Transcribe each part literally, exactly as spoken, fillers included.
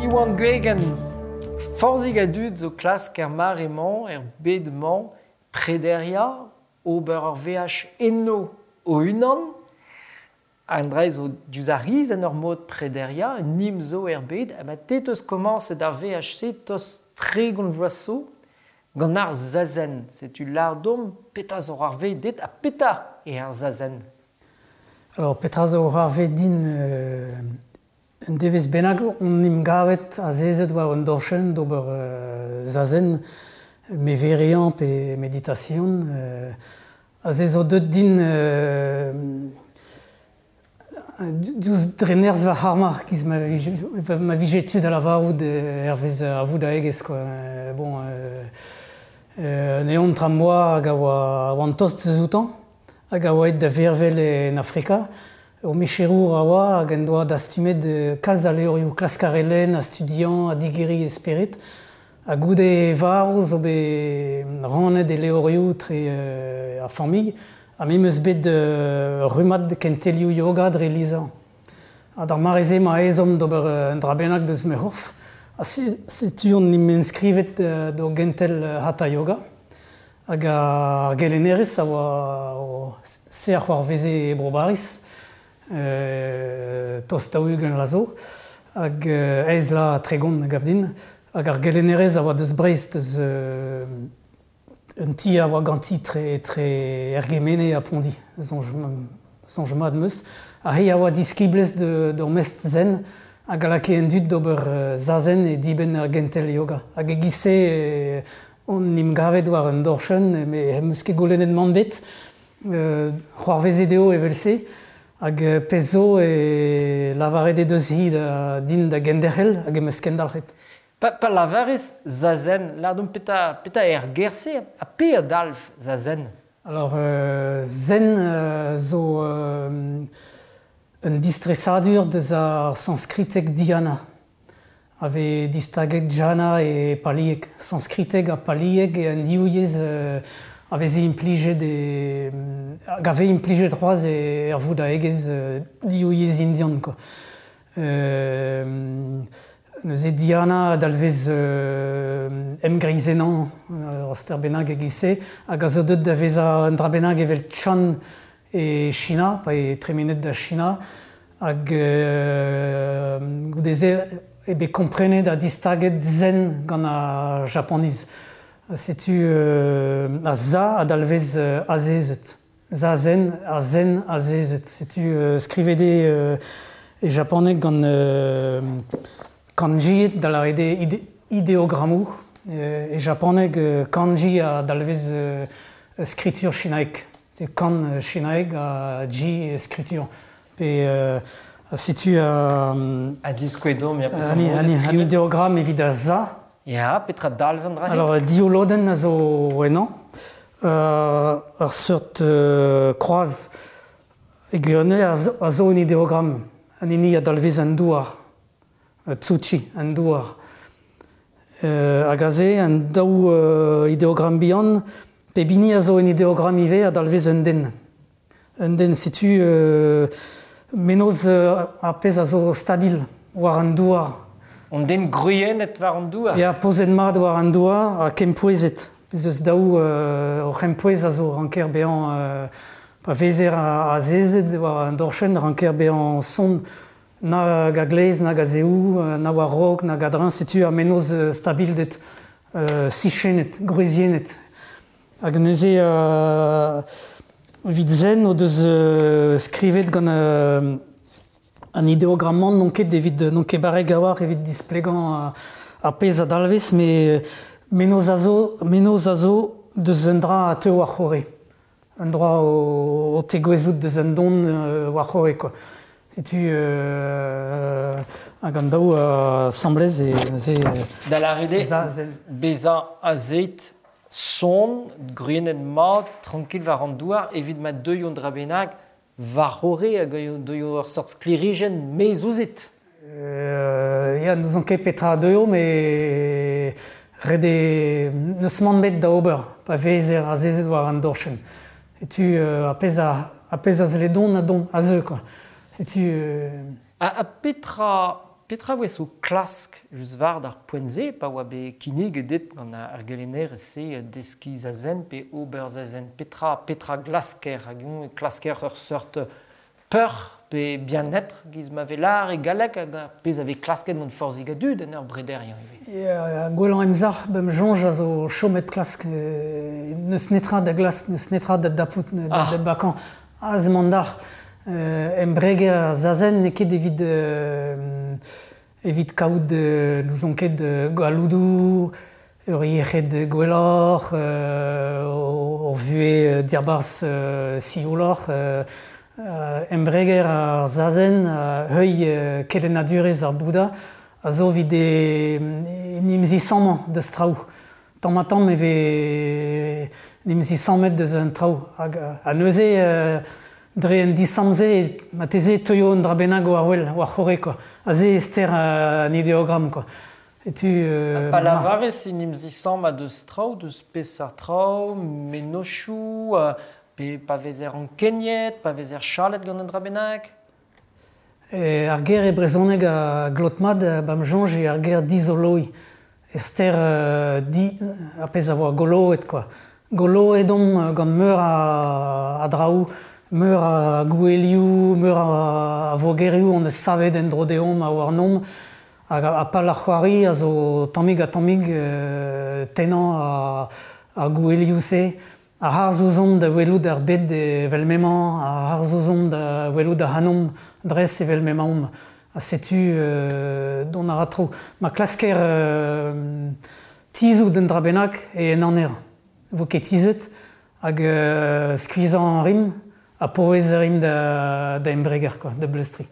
Iwan Gwegen, forzhig a dud zo klask er mare-mañ, er bed-mañ, prederiañ, ober ur veaj enno o-unan. An dra zo diouzh ar riz en ur mod prederiañ, nim zo er bed, ha ma te teus komañset ar veaj-se tost tregont vloaz zo gant ar zazen. Setu lâr domp petra zo ar vez dit ha petra eo ar zazen. Alors, petra zo ar vez din euh, un devezh bennak on em gavet azezet war un dorchenn d'ober euh, zazen, meveriañ pe meditation. Euh, aze zo deut din euh, diouzh dre nerzh va c'harma giz ma vije, ma vije tu da lavarout hervez ar voudaegezh quoi. Euh, bon, euh, euh, un eontr am boa hag a oa oan tost eus outañ, hag a oa aet da vervel en Afrika. Ur micherour a oa hag en doa dastumet kalz a levrioù klask ar lenn, a studiañ, a digeriñ e spered. Ha goude varv zo bet rannet e levrioù tre euh, ar familh. Ha me 'm eus bet euh, rummad kentelioù yoga dre lizher. Ha d'ar mare-se ma ezhomm d'ober un dra bennak deus ma c'horf. Ha setu on em enskrivet euh, d'o gentel hatha yoga. Hag ar gelennerez a oa o se a c'hoarveze e Bro-Bariz, euh, tost daou-ugent vloaz zo, hag euh, aes la tregont a gav din. Hag ar gelennerez a oa deus Breizh, deus euh, un ti a oa ganti tre, tre Ergemene ha Pondi, soñj, soñj mat 'm eus. Ha hi a oa diskiblez de, d'ur mestr zen hag a lakae an dud d'ober euh, zazen e dibenn ar gentel yoga. Hag e-giz-se euh, on em gavet war un dorchenn, met em eus ket goulennet mann ebet, euh, c'hoarvezet eo evel-se, hag euh, pezh zo e lavaret he deus hi da, din da genderc'hel hag em eus kendalc'het. Pa, pa lavarez zazen, lâr deomp petra, petra eo ar ger-se ha pe a dalv zazen? Alors, euh, zen euh, zo euh, un distresadur deus ar sanskriteg dhyana. A vez distaget dhyana e palieg. Sanskriteg ha palieg e an div yezh euh, a veze implijet e, hag a vez implijet c'hoazh e er voudaegezh euh, div yezh indian quoi. Euh, neuze dhyana a dalvez euh, emgreizennañ ur ster bennak e-giz-se, hag a zo deut da vezañ un dra bennak evel Chan e China, pa eo tremenet da China, hag euh, goude-se eo bet komprenet ha distaget zen gant ar Japaniz. Setu euh, a za a dalvez euh, azezet. Zazen, a zen azezet. Setu euh, skrivet eo euh, e japaneg gant euh, kanji da lâret eo ide, ideogrammoù. Euh, e japaneg euh, kanji a dalvez euh, skritur chinaek. Kan chinaek ha ji skritur. Pe euh, setu euh, Ha diskouez-domp, ya, an, an, an ideogramm evit a za. Ya, petra dalv an dra-se? Alors, div lodenn a zo ennañ. Euh, ur seurt euh, kroaz e gwirionez a zo, a zo un ideogramm. An hini a dalvez an douar. Tsuchi, an douar. Euh, hag aze, an daou euh, ideogramm bihan, pep hini a zo un ideogramm ivez a dalvez un den. Un den, setu euh, mennozh euh, ar pezh a zo stabil war an douar. Un den gwriennet war an douar? Ya, pozet mat war an douar ha kempouezet. Ez eus daou euh, ur c'hempouez a zo ranker bezañ euh, pa vezer azezet war an dorchenn ranker bezañ sonn nag a-gleiz, nag a-zehou, na war-raok, nag a-dreñv, setu ar mennozh stabilded euh, sichennet, gwriziennet. Hag neuze euh, evit zen o deus euh, skrivet gant euh, an ideogramm-mañ n'on ket evit n'on ket barrek a-walc'h evit displegañ ar pezh a dalvez, met mennozh a zo, mennozh a zo deus un dra a teu war-c'horre. Un dra o, o tegouezhout deus un don euh, war-c'horre quoi. Setu euh, hag an daou asambles e neuze Da lâret eo bezañ azezet sonn, gwriennet mat, tranquil war an douar, evit ma deuio un dra bennak war-c'horre hag deuio ur seurt sklêrijenn maez ouzhit. Euh, ya, n'ouzon ket petra deuio, met ret eo n'eus mann ebet da ober, pa vezer azezet war an dorchenn. Setu euh, ar pezh a, ar pezh a zle dont a dont, a zeu quoi. Setu euh... Ha, ha petra Petra voe so klask just war d'ar poent-se, pa oa bet kinniget dit gant ar gelennerez-se deskiñ zazen pe ober zazen. Petra, petra glasker, hag eñ klasker ur seurt peur pe bien-être giz ma vez lar e galleg hag ar pezh a vez klasket gant forzhig a dud en ur brederiañ ivez. Ya, gwellañ emzalc'h bem soñj a zo chomet klask. N'eus netra da glask, n'eus netra da dapout, da, Ah. da bakañ. Az emañ dalc'h. Euh, embreger ar zazen n'eo ket evit, euh, evit kaout euh, n'ouzon ket euh, galloudoù, ur yec'hed gwelloc'h, euh, ur vuhez diabarzh euh, siouloc'h. Euh, euh, embreger ar zazen, euh, heuilh euh, kelennadurezh ar Bouddha, a zo evit e, en em zisammañ deus traoù. Tamm ha tamm e vez en em zisammet deus an traoù. Hag, ha neuze, euh, dre un disamm-se, marteze teuio un dra bennak war wel, war c'horre, quoi. Aze e ster un idéogramme, quoi. Et tu, euh, Pa lavarez en em zisammañ deus traoù, deus peseurt traoù, mennozhioù, euh, pe pa vezer ankeniet, pa vezer chalet gant un dra bennak? E, ar ger e brezhoneg a glot mat, ba'm soñj eo ar ger dizoloiñ. E ster euh, di, ar pezh a oa goloet, quoi. Goloet omp gant meur a, a draoù, meur a gouelioù, meur a, a vogerioù on eus savet en dro deomp a warnomp, hag a, a pal ar c'hoari a zo tammig ha tammig euh, tennañ a, ar gouelioù-se. Ar harz ouzomp da welout ar bed evel m'emañ, ar harz ouzomp da welout ar c'hanomp dres evel m'emaomp. Ha setu euh, dont a ra traoù. Ma klasker euh, tizhout un dra bennak e en aner. Vo ket tizhet hag euh, skuizhañ an rim, ha pouez a rim da, da embreger, quoi, da bleustriñ.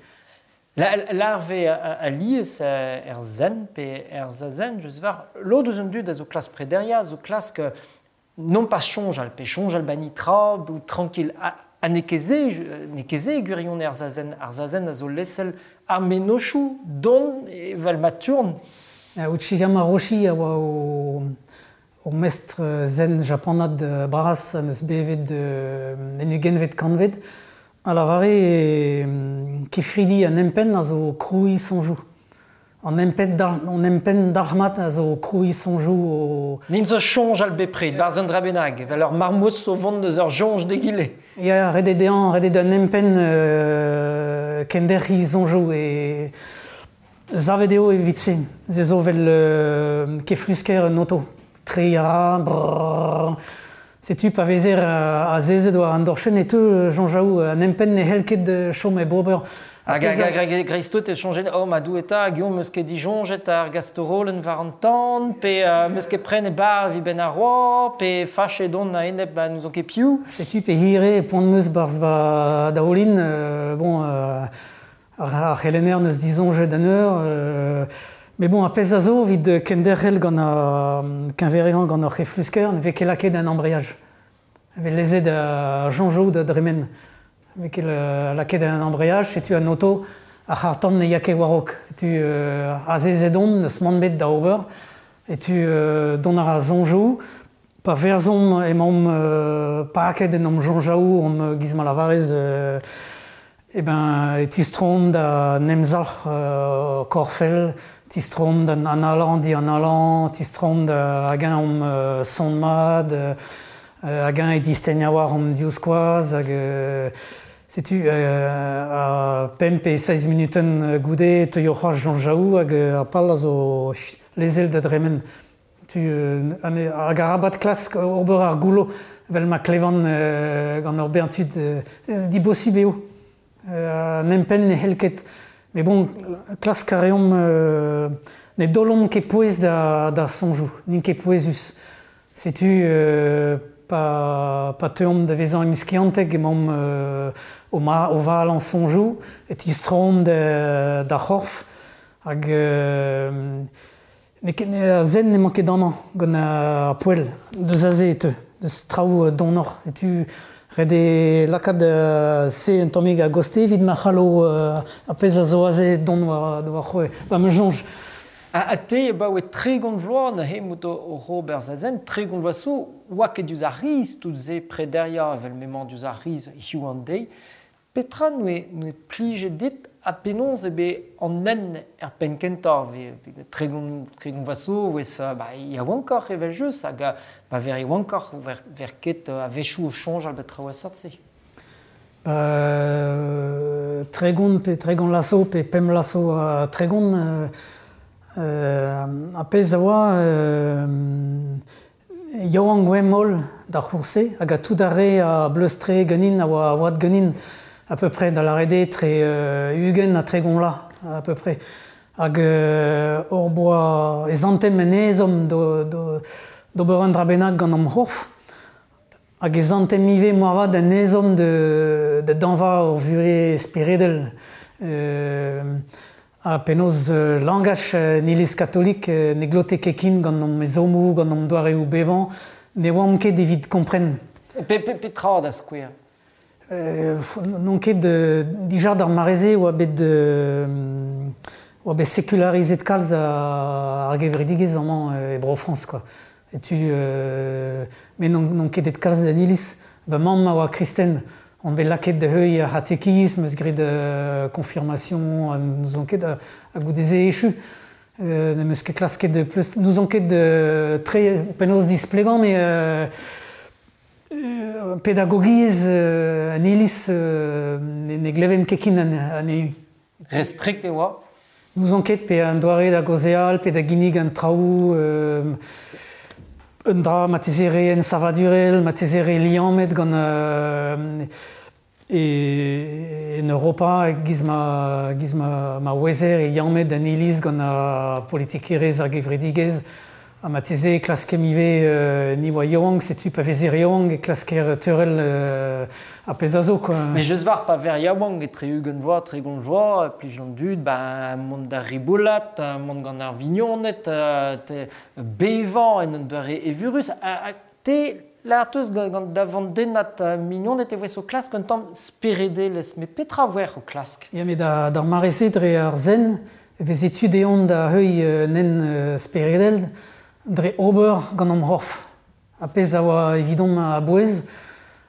La, l'arve a, a lies er zen pe er zazen, just war, lod eus an dud a zo klask prederia, a zo klask non pas soñjal, pe soñjal ba nitra, bout tranquille. Ha, ha n'eo ket se, n'eo ket se gwirion er zazen. Ar zazen a zo lesel ar mennozhioù don evel ma tourn. Uchiyama Roshi a oa o, o mestr zen japanat bras an eus bevet en ugentvet kantved. A lavare e, kefridi an empenn a zo krouiñ soñjoù. An empenn dal, an empenn dalc'hmat a zo krouiñ soñjoù o... N'int zo soñjal bepred, barzh un dra bennak, evel ur marmouz o vont deus ur soñj d'egile. Ya, ret eo dezhañ, ret eo d'an empenn euh, kenderc'hiñ soñjoù e... Savet eo evit se. Se zo vel euh, keflusker un oto. Treiñ a ra, brrr. Setu pa vezer azezet war an dorchenn e teu soñjaoù an empenn ne c'hell ket chom hep ober. Hag hag hag hag dreist-tout e soñjet, oh ma doue eta, hag eñ meus ket disoñjet ar gastorolenn war an tan, pe euh, meus ket pren e bar evit benn ar roa, pe fachet on a-enep ba n'ouzon ket piv. Setu pe hire poan meus barzh va daoulin, euh, bon, euh, ar, ar c'helenner neus disoñjet an eur, euh, mais bon, a pezh a zo evit kenderc'hel gant ar keñveriañ gant ar c'heflusker, ne vez ket lakaet un embrayage. Ne vez lezet a soñjoù da dremen. Ne vez ket lakaet un embrayage, setu an oto ar c'harr-tan ne ya ket war-raok. Setu euh, azezet omp, n'eus mann bet da ober, et tu euh, dont ar soñjoù, pa verzomp emaomp euh, paket en omp soñjaoù, omp giz ma lavarez, euh, eh ben, e tistroomp da nemzalc'h euh, korfel, tistroomp d'an analañ dianalañ, tistroomp da hag-eñ omp euh, son mat, euh, hag-eñ e distegn a-walc'h omp divskoaz, hag euh, setu euh, a pemp pe seizh minutenn goude teuio c'hoazh soñjaoù hag ar pal a zo lezel da dremen. Tu, euh, hag arabat klask ober ar goullo vel ma klevan euh, gant ur bern tud, euh, dibosub eo. Euh, an empenn ne c'hell ket. Mais bon, klask a reomp euh, ne dolomp ket pouez da, da soñjoù, n'int ket pouezus. Setu euh, pa, pa teuomp da vezañ emskiantek emaomp euh, o, ma, o valañ soñjoù, e tistroomp da, da c'horf, hag euh, ne ket ne a zen n'emañ ket amañ gant ar poell, deus aze e teu, deus traoù donoc'h. Setu ret eo lakaat euh, se un tammig a goste evit ma c'hallo euh, ar pezh a zo aze dont war, war c'hoe. Ba ma soñj. Ha, ha te ba oe tregont vloaz neuze mout o ober zazen, tregont vloaz zo, oa ket diouzh ar riz tout se prederia evel m'emañ diouzh ar riz hiziv an deiz. Petra n'oe, n'oe plijet dit A penaos eo bet an nen er penn kentañ, ve tregont, tregont vaso, vez ba yaouankoc'h evel just, hag ba ver yaouankoc'h, ver, ver ket a-wechoù o soñjal bet traoù a-seurt-se. Euh, tregont pe tregont laso pe pemp laso a tregont euh, euh, a pezh a oa euh, yaouank oa holl d'ar c'hourse hag a tout ar re a bleustre ganin a oa oad ganin à peu près da lâret eo tre euh, ugent ha tregont la à peu près hag euh, hor boa e zantem en ezhomm do, do, d'ober un dra bennak gant am c'horf hag e zantem ivez moarvat en ezhomm de, de dañva ur vuhez speredel euh, ha penaos euh, langaj euh, iliz katolik euh, ne glote ket ken gant am ezhommoù, gant am doareoù bevañ, ne oamp ket evit kompren. Pe, pe, petra da skouer? Euh, n'on ket euh, dija d'ar mare-se oa bet euh, oa bet sekularizet kalz a, ar gevredigezh amañ e Bro-Frañs quoi. Et tu euh, mais n'on n'on ket et kalz d'an iliz. Va mamm a oa kristen, on bet lakaet da heuilh ar c'hatekism, eus graet euh, confirmation, n'ouzon ket a, a goude-se echu. Euh, n'em eus ket klasket de pleust, n'ouzon ket de tre penaos displegañ, mais euh, euh, pedagogiezh euh, an iliz euh, ne, ne gleven ket ken an, anezhi. Restrikt e oa? N'ouzon ket pe an doare da gaozeal, pe da ginnig an traoù, euh, un dra marteze re ensavadurel, marteze re liammet gant euh, e, en Europa giz ma, giz ma, ma ouezer e liammet an iliz gant ar politikerezh ar gevredigezh ha marteze klaskem ivez euh, ni oa yaouank, setu pa vezer yaouank e klasker teurel euh, ar pezh a zo quoi. Mais just war pa ver yaouank etre ugent vloaz, tregont vloaz, plij an dud, ba mont da riboulat, mont gant ar vignoned, te bevañ en un doare evurus, ha, ha te lâr teus gant, gant da vandennad mignoned e voes o klask un tamm speredelezh, met petra voer o klask? Ya, met da, d'ar mare-se dre ar zen, e veze tu deomp da heuilh nen euh, speredel, dre ober gant am c'horf. A pezh a oa evidomp a-bouez,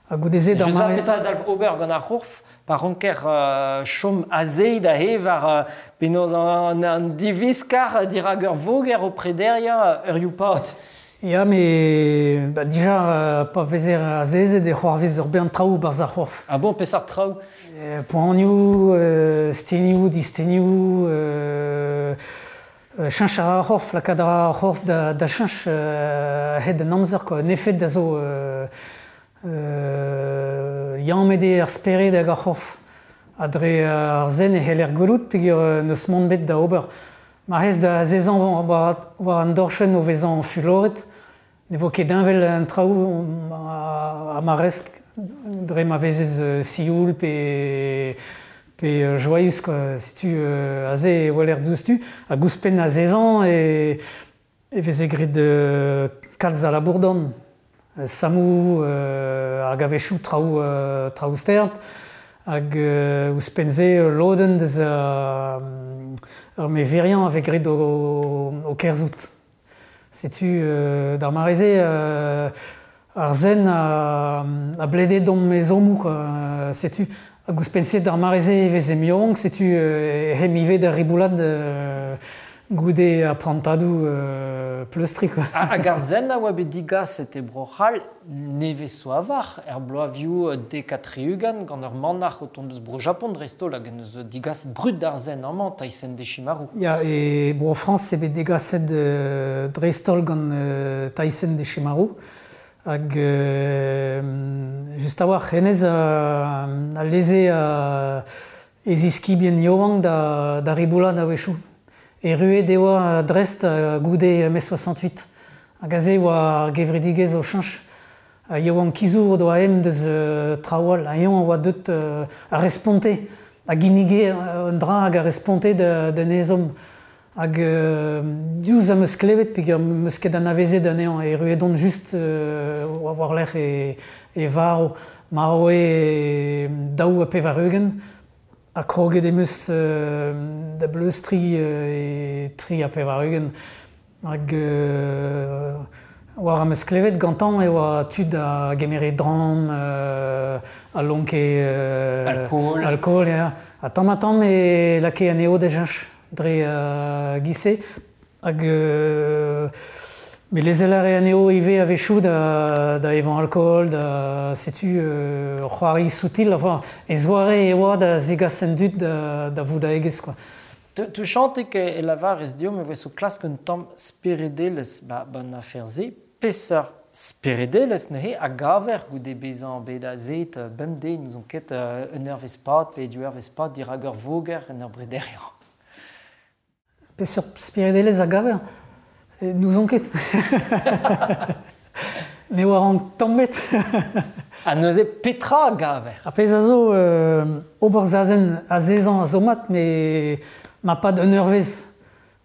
ha goude-se d'ar Just war mare... petra dalv ober gant ar c'horf, pa ranker euh, chom aze da he war euh, penaos an, an diviskar dirak ur voger o prederiañ ur youpad. Ya, met ba, dija euh, pa vezer azezet e c'hoarvez ur bern traoù barzh ar c'horf. Ah bon, peseurt traoù? Euh, poanioù, euh, stenioù, distenioù, euh, euh, cheñch a ra ar c'horf, lakaat a ra ar c'horf da, da cheñch euh, a-hed an amzer quoi. En efed a zo euh, euh, liammet eo ar spered hag ar c'horf. Ha dre ar zen e c'heller gwelout peogwir euh, n'eus mann bet da ober. Ma rez da azezañ war, war an dorchenn o vezañ fuloret, ne vo ket heñvel an traoù ha, ha ma rez dre ma vezez euh, sioul pe pe euh, joaius quoi. Setu euh, aze e weler diouzhtu, hag ouzhpenn azezañ e, e veze graet euh, kalz a labour-dorn. Sammoù euh, hag a-wechoù traoù, euh, traoù stert, hag euh, ouzhpenn-se lodenn deus euh, ur meveriañ a vez graet o, o kerzhout. Setu euh, d'ar mare-se euh, ar zen a, a blede d'hom ezhommoù quoi. Setu hag ouzhpenn-se d'ar mare-se e veze yaouank, setu euh, hem ivez da riboulat euh, goude ar prantadoù euh, pleustri quoi. Ha, hag ar zen a oa bet digaset e Bro-C'hall nevez zo a-walc'h, er bloavioù dek ha tri-ugent gant ur manac'h o tont eus Bro-Japon dreist-holl hag en deus digaset brud d'ar zen amañ, Taisen Deshimaru. Ya, e Bro-Frañs eo bet degaset euh, dreist-holl gant euh, Taisen Deshimaru. Hag euh, just a-walc'h hennezh a, a leze a, e ziskibien yaouank da, da riboulat a-wechoù. Erruet e oa Brest goude mai soixante-huit. Hag aze oa ar gevredigezh o cheñch. Ha yaouankizoù o doa em deus euh, traoù all. Ha eñ a oa deut euh, a responte, a ginnige un dra hag a responte da, d'an ezhomm. Hag euh, diouzh am eus klevet peogwir am eus ket anavezet anezhañ, erruet on just euh, war-lerc'h e, e varv. Marv eo daou ha pevar-ugent. Ha kroget em eus euh, da bleustriñ euh, e tri ha pevar-ugent. Hag euh, War am eus klevet gantañ e oa tud a gemere dramm, euh, a lonke... Euh, alkool. Alkool, ya. Ha tamm ha tamm e lakae anezho da cheñch dre uh, giz-se. Hag... Euh, me lezel a rae anezho ivez a-wechoù da, da evañ alkool, da setu euh, c'hoari soutil, enfin, e zoare e oa da zegas an dud da, da voudaegezh, quoi. Tu chantek e lavarez deomp e voe o klask un tamm speredelezh ba, ban afer-se. Peseurt speredelezh neuze a gaver goude bezañ bet azet bemdez n'ouzon ket un eurvezh pad pe div eurvezh pad dirak ur voger en ur brederiañ. Peseurt speredelezh a gaver? N'ouzon ket. Ne oar an tamm ebet. Ha neuze petra a gaver? Ar pezh a zo euh, ober zazen azezañ a zo mat, me ma pad un eurvezh.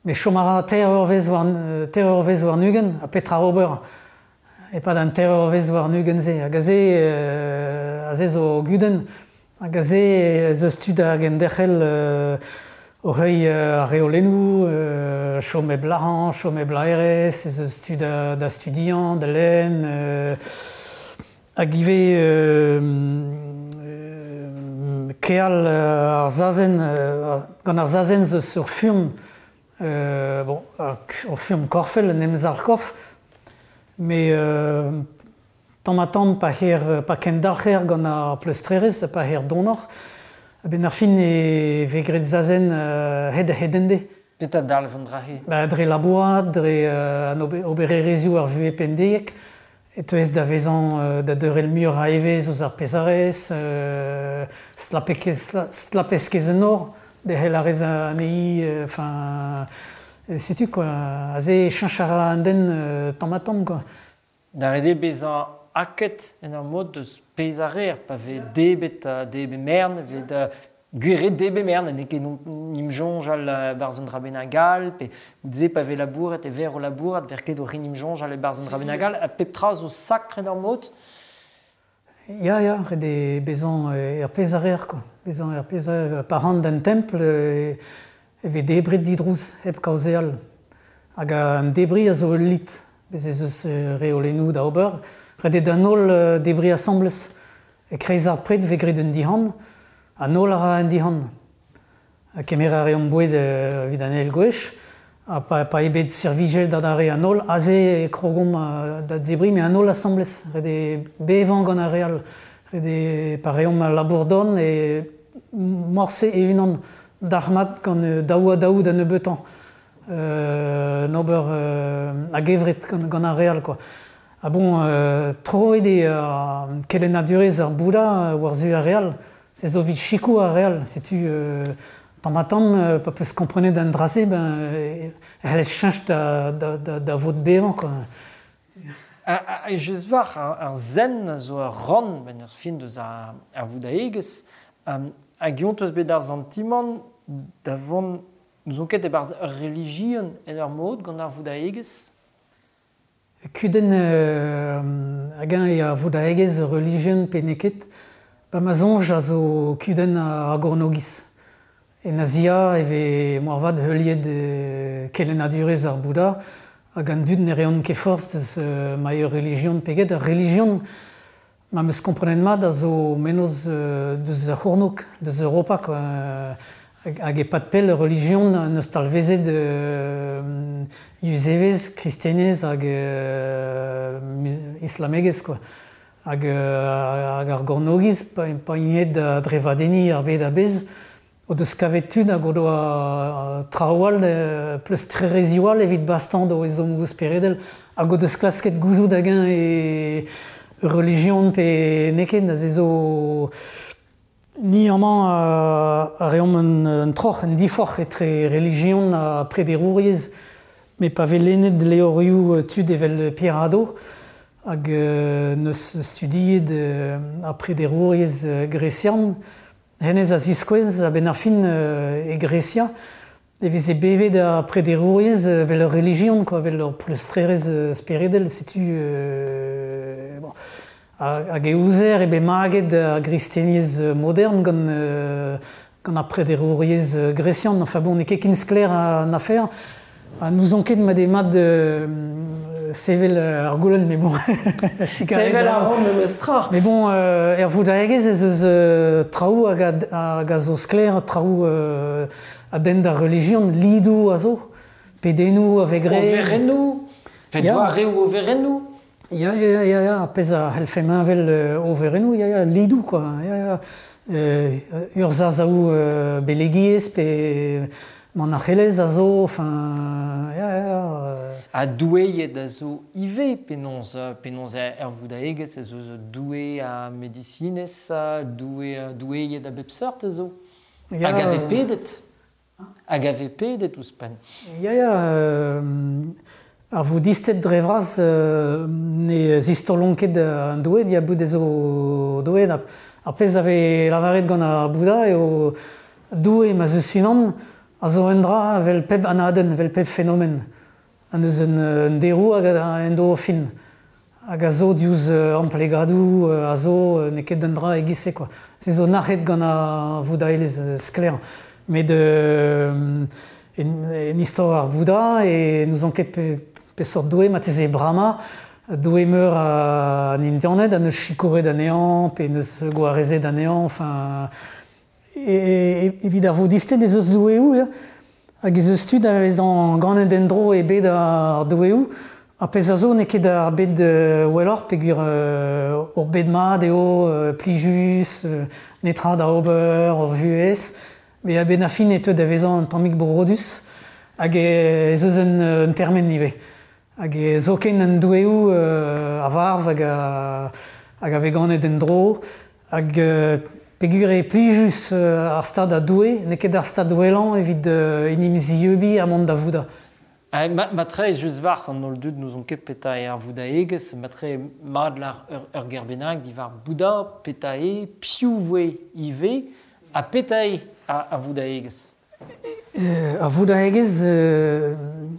Me chom a ra teir eurvezh war, teir eurvezh warn-ugent, ha petra ober e-pad an teir eurvezh warn-ugent-se. Hag aze, euh, aze zo gudenn, hag aze ez eus tud hag enderc'hel euh, o heuilh ar reolennoù, euh, chom hep lârañ, chom hep laerezh, ez eus tud da, da studiañ, da lenn, euh, hag ivez euh, euh, keal ar zazen, euh, gant ar zazen zo eus ur furm, Euh, bon, ur furm korfel, un emzalc'h korf, mais euh, tamm ha tamm pa her, pa kendalc'her gant ar pleustrerezh, pa her donoc'h, a-benn ar fin e vez graet zazen euh, hed a-hed-en-de. Petra dalv an dra-se? Ba, dre labourat, dre euh, an obererezhioù ar vuhez pemdeiek, e teuez da vezañ euh, da deurel muioc'h a evezh ouzh ar pezh a rez, euh, stlapez ket en nor, derc'hel a rez anezhi, enfin, setu quoi, aze cheñch a ra an den euh, tamm ha tamm, quoi. Da ret eo bezañ aked en ur mod deus pezh a reer, pa vez debet, debet mern, vez da gwir eo debet mern, n'eo ket n'im soñjal barzh un dra bennak all, pe goude-se pa vez labouret, e ver o labourat, ver ket o rin im soñjal e-barzh un dra bennak all, ha pep tra zo sakr en ur mod. Ya, ya, ret eo bezañ er pezh a reer, quoi. Bezañ er pezh a reer, pa ran d'an templ e vez debret didrouz hep kaozeal. Hag an debriñ a zo ul lid, bez ez eus reolennoù da ober. Ret eo d'an holl debriñ asambles. E kreiz ar pred vez graet un dihan, an holl a ra un dihan. Ha kemer a reomp boued evit an eil gwech, ha pa, pa eo bet servijet da re an holl, aze e krogomp da debriñ, met an holl asambles. Ret eo bevañ gant ar re all. Ret eo pa reomp al labour don e morse e-unan dalc'hmat gant daou ha daou da nebeutañ. Euh, n'ober euh, a-gevret gant, gant ar re all, quoi. Ha bon, euh, troet eo euh, kelennadurezh ar Bouddha war-zu ar re all. Se zo evit sikour ar re all. Setu euh, tamm ha tamm, pa peus komprenet an dra-se, ben, e c'hellez cheñch da, da, da, da vod bevañ, quoi. Ha, ha just war, ar, ar zen zo ur rann, ben ur fin deus ar, ar voudaegezh, um, hag eont eus bet ar santimant da vont n'ouzon ket e-barzh ur relijion en ur mod gant ar voudaegezh? Kudenn euh, hag-eñ eo ar voudaegezh ur relijion pe n'eo ket, ba ma soñj a zo kudenn ar gornogiz. En Azia e vez moarvat heuliet euh, kelennadurezh ar Bouddha, hag an dud ne reont ket forzh deus euh, ma eo relijion pe get. Ar relijion, ma 'm eus komprenet mat, a zo mennozh euh, deus ar c'hornôg, deus Europa, quoi. Hag e-pad pell ur relijion n'eus talvezet euh, yuzevez, kristenez hag euh, islamegezh, quoi. Hag, euh, hag ar gornogiz, pa, pa int da drevadenniñ ar bed a-bezh, o deus kavet tud hag o doa traoù all, pleustrerezioù all evit bastañ d'o ezhommoù speredel, hag o deus klasket gouzout hag-eñ e relijion pe n'eo ket, aze zo ni amañ a reomp un, un troc'h, un diforc'h etre relijion ha prederouriezh, met pa vez lennet levrioù tud evel Pierre Hadot, hag euh, neus studiet euh, ar prederouriezh gresian, hennezh a ziskouez a-benn ar fin euh, e Grecia, e veze bevet ar prederouriezh evel ur relijion, quoi, evel ur pleustrerezh speredel, setu euh, bon. Hag e ouzer e bet maget ar gristeniezh modern gant, euh, gant ar prederouriezh gresian. Enfin bon, n'eo ket ken sklaer an afer. Ha n'ouzon ket ma eo mat euh, Sevel ar goulenn, mais bon. Sevel ar ran memes tra. Mais bon, euh, er voudaegez ez eus euh, traoù hag a, hag a zo sklaer, traoù euh, a den d'ar religion, lidou a zo, pedennoù a vegre. Overennoù, pe doareoù overennoù. Ya, ya, ya, ya, pezh a c'hellfe meñvel overennoù, ya, ya, lidou, quoi. Ya, ya. Euh, urzhazaoù euh, belegiezh pe manac'helez a zo, enfin, ya, ya. Ha doueiet a zo ivez penaos, penaos er voudaegez ez eus doue a medisinez, doue, doueiet a bep seurt a zo. Ya, Hag a vez pedet. Hag a vez pedet ouzhpenn. Ya, ya, euh, ar voudisted dre vras euh, ne zistolont ket an doueed, ya bout ez o doueed. Ar pezh a vez lavaret gant ar Bouddha eo doue ma zeus unan a zo un dra vel pep anadenn, vel pep fenomen. An eus un, un derou hag a en do fin. Hag a zo diouzh amplegadoù a zo n'eo ket un dra e-giz-se, quoi. Se zo nac'het gant ar voudaelezh sklaer. Met euh, en, en istor ar Bouddha e n'ouzon ket pe, peseurt doue marteze Brahma, doue meur an Indianed, an eus sikouret anezhañ, pe neus gwarezet anezhañ, enfin... E, evit ar voudisted ez eus doueoù, ya. Hag ez eus tud a vez an ganet en-dro e bed ar doueoù, ar pezh a zo n'eo ket ar bed welloc'h peogwir euh, ur bed mat eo, euh, plijus, euh, netra da ober, ur vuhez, met a-benn ar fin e teu da vezañ un tammig borodus, hag ez eus un, un termen ivez. Hag e zoken an doueoù euh, a varv hag a, hag a vez ganet en-dro, hag euh, peogwir eo plijus euh, ar stad a doue, n'eo ket ar stad wellañ evit euh, en em zieubiñ ha mont da Vouddha. Ha, ma, matre just war an holl dud n'ouzon ket petra eo ar voudaegezh, matre mat lar ur, ur ger bennak diwar Bouddha, petra eo, piv voe ivez, ha petra eo ar, ar voudaegezh. Euh, ar voudaegezh euh,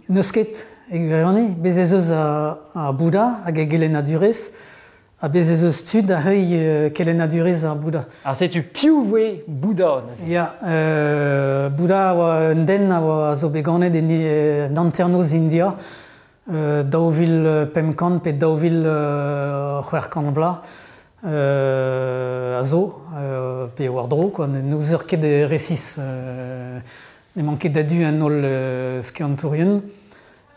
n'eus ket e gwirionez, bez ez eus ar, ar Bouddha hag e gelennadurezh, ha bez ez eus tud a heuilh euh, kelennadurezh ar Bouddha. Ha setu piv voe Bouddha neuze. Ya, euh, Bouddha a oa un den a oa zo bet ganet en, en hanternoz India, euh, daou vil pemp kant pe daou vil euh, c'hwec'h kant vloaz euh, a zo, euh, pe war-dro, quoi, n'ouzer ket resis. Euh, n'emañ ket a-du an holl euh, skiantourien.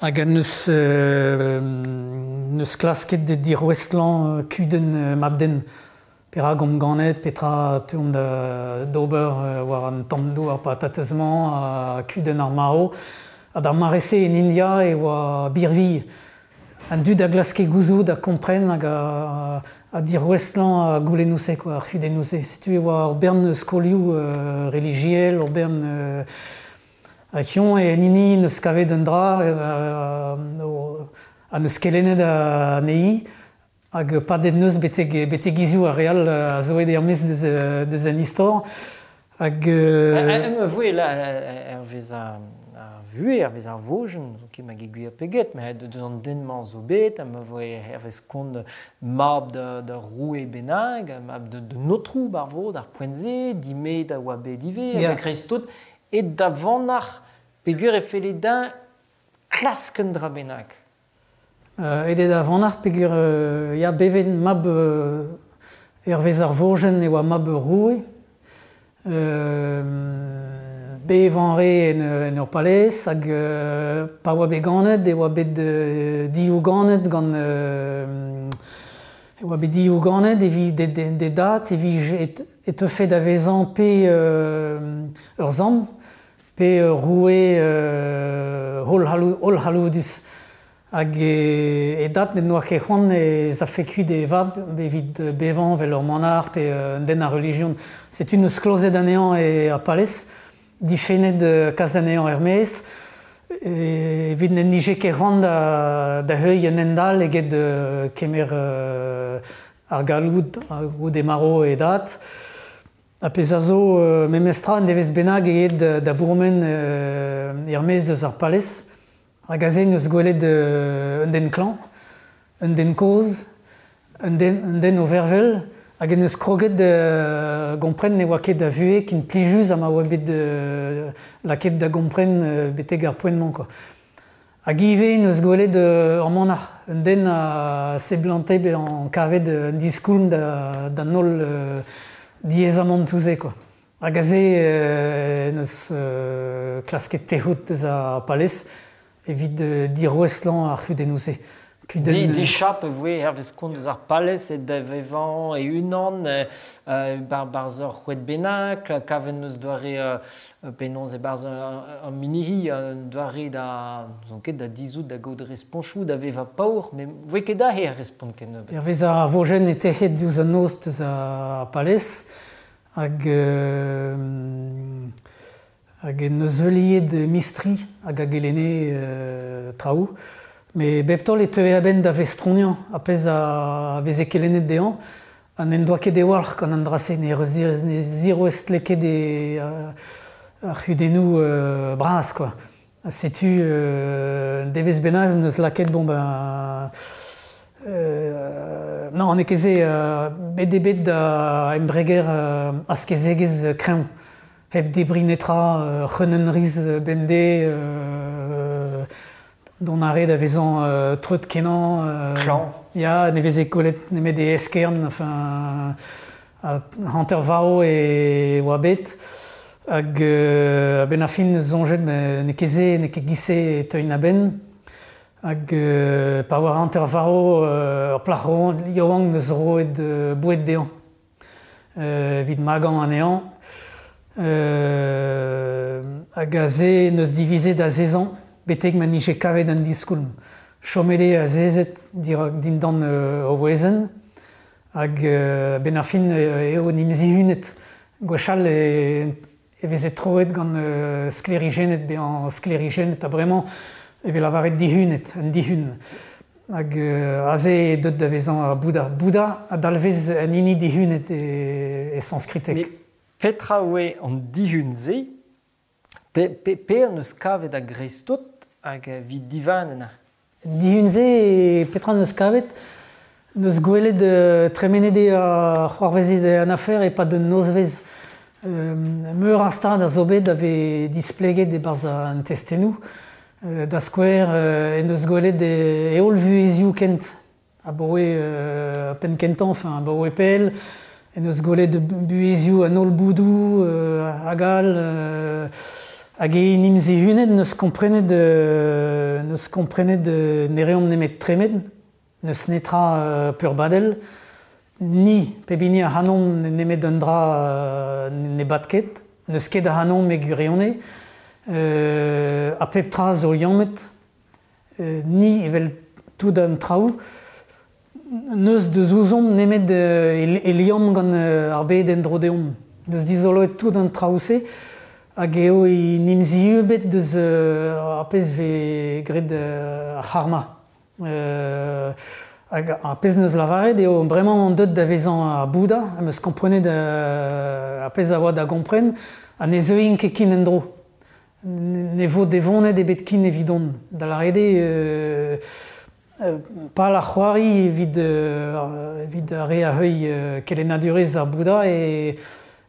Hag an eus, euh, neus klasket de dirouestlañ kudenn euh, mab-den. Perak omp ganet, petra teuomp da d'ober euh, war an tamm douar patatez-mañ, ha kudenn ar marv. Ha d'ar mare-se en India e oa birvilh. An dud a glaske gouzout a kompren hag a, a dirouestlañ a goulennoù-se, quoi, ar c'hudennoù-se. Setu e oa ur bern skolioù euh, relijiel, ur bern euh, a hiziv e en hini neus kavet un dra euh, a neus kelennet anezhi hag padet neus betek, betek hiziv ar re all a zo aet er-maez deus, deus an istor. Hag... Euh... Em voe la hervez ar, ar vuhez, hervez ar vojenn, zo ket ma gwir pe get, met deus an den-mañ zo bet, ha ma voe hervez kont mab da, da roue bennak, mab de, de notrou bar vo, d'ar poent-se, dimet a oa bet ivez, Ya. hag a-greiz-tout, et da vanac'h peogwir e felle din klask un dra bennak. Euh, aet eo da vanac'h peogwir euh, ya bevet mab euh, hervez ar vojenn e oa mab ur roue. Euh, bevañ re en, en ur palez hag euh, pa oa bet ganet e oa bet euh, diouganet gant euh, e oa bet diouganet evit de, de, de dat evit et, e teufe da vezañ pe euh, ur sant pe ur roue euh, holl c'halloudus. Hag e, e dat n'en doa ket c'hoant e zafe kuit e vab evit bevañ vel ur manac'h pe un den a relijion. Setu neus klozet anezhañ e ar palez, difennet kas anezhañ er-maez, evit n'en nije ket c'hoant da, da heuilh un hent-all eget euh, kemer euh, ar galloud goude marv e dat. Ha pezh a zo euh, memestra en devez bennak eget da, da bourmen euh, er-maez deus ar palez. Hag aze neus gwelet euh, un den klañv, un den kozh, un den, un den o vervel, hag en eus kroget da gompren ne oa ket da vuhez ken plijus ha ma oa bet euh, lakaet da gompren euh, betek ar poent-mañ, quoi. Hag ivez neus gwelet ur manac'h, un den a seblante bezañ kavet un diskoulm da, da holl euh, diaezamantoù-se quoi. Hag aze euh, neus euh, klasket tec'hout deus ar palez evit euh, dirouestlañ ar c'hudennoù-se. Di, dichap e voe hervez kont eus ar palez e da vevañ e unan euh, bar barzh ur c'hoed bennak, kavet neus doare euh, penaos e barzh un, un minihi, un doare da, n'ouzon ket, da dizout da gaout responchoù da vevañ paour, met voe ket aze ar respont kennebeut. Hervez ar vojenn e tec'het diouzh an noz deus ar palez hag euh, hag en deus heuliet mistri hag a gelenne euh, traoù. Met bep taol e teue a-benn da vestroniañ ar pezh a veze kelennet dezhañ, ha n'en doa ket e-walc'h gant an dra-se, ne, ne zirouestle ket e, ar c'hudennoù euh, bras quoi. Ha setu euh, devezh bennak neus lakaet bon ben euh, non, n'eo ket se euh, bet eo bet da embreger euh, askezegezh kreñv, hep debriñ netra, euh, c'hreunenn riz bemdez, euh, dont ar re da vezañ euh, treut kenañ. Euh, Klañv. Ya, ne veze kollet nemet e eskern, enfin, a hanter varv e oa bet. Hag euh, a-benn ar fin soñjet n'eo ket se, n'eo ket giz-se e teuin a-benn. Hag euh, pa oa hanter varv euh, ur plac'h yaouank neus roet euh, boued dezhañ euh, evit magañ anezhañ. Euh, hag aze neus divizet azezañ betek ma nije kavet an diskoulm. Chomet eo azezet dirak dindan euh, o wezenn, hag euh, ben ar fin eo n'im zihunet. Gwechall e, e veze troet gant euh, sklêrijennet bezañ sklêrijennet ha bremañ e vez lavaret dihunet, an dihun. Hag euh, aze eo deut da vezañ ar Bouddha. Bouddha a dalvez an hini dihunet e, e sanskriteg. Met petra oe an dihun-se, pe, pe, pe an eus kavet a-greiz-tout hag evit divanen. Dihun-se, petra neus kavet, neus gwelet euh, tremenet eo ar c'hoarvezet an afer e-pad un nozvezh. Euh, meur a stad a zo bet a vez displeget e-barzh an testennoù. Euh, da skouer euh, en deus gwelet e, e holl vuhezioù kent. Abaoe euh, penn kentañ, enfin, abaoe pell, en deus gwelet buhezioù an holl boudoù, euh, hag all, euh, hag e n'im zihunet neus komprenet euh, neus komprenet euh, ne reomp nemet tremen, neus netra euh, peurbadel, ni pep hini ac'hanomp nemet un dra euh, ne bad ket, neus ket ac'hanomp e gwirionez, euh, ha pep tra zo liammet, euh, ni evel tout an traoù, neus deus ouzomp nemet euh, e, e liamm gant euh, ar bed en-dro deomp. Neus dizoloet tout an traoù-se, hag eo e n'im ziubet deus euh, ar pezh vez graet euh, ar c'harma. Euh, hag ar pezh neus lavaret eo bremañ an deut da vezañ ar Bouddha, am eus komprenet euh, ar pezh a oa da gompren, ha ne zeuin ket kin en-dro. Ne vo devonet ebet kin evidon. Da lâret eo euh, euh, pal ar c'hoari evit, euh, evit ar re a heuilh euh, kelennadurezh ar Bouddha e,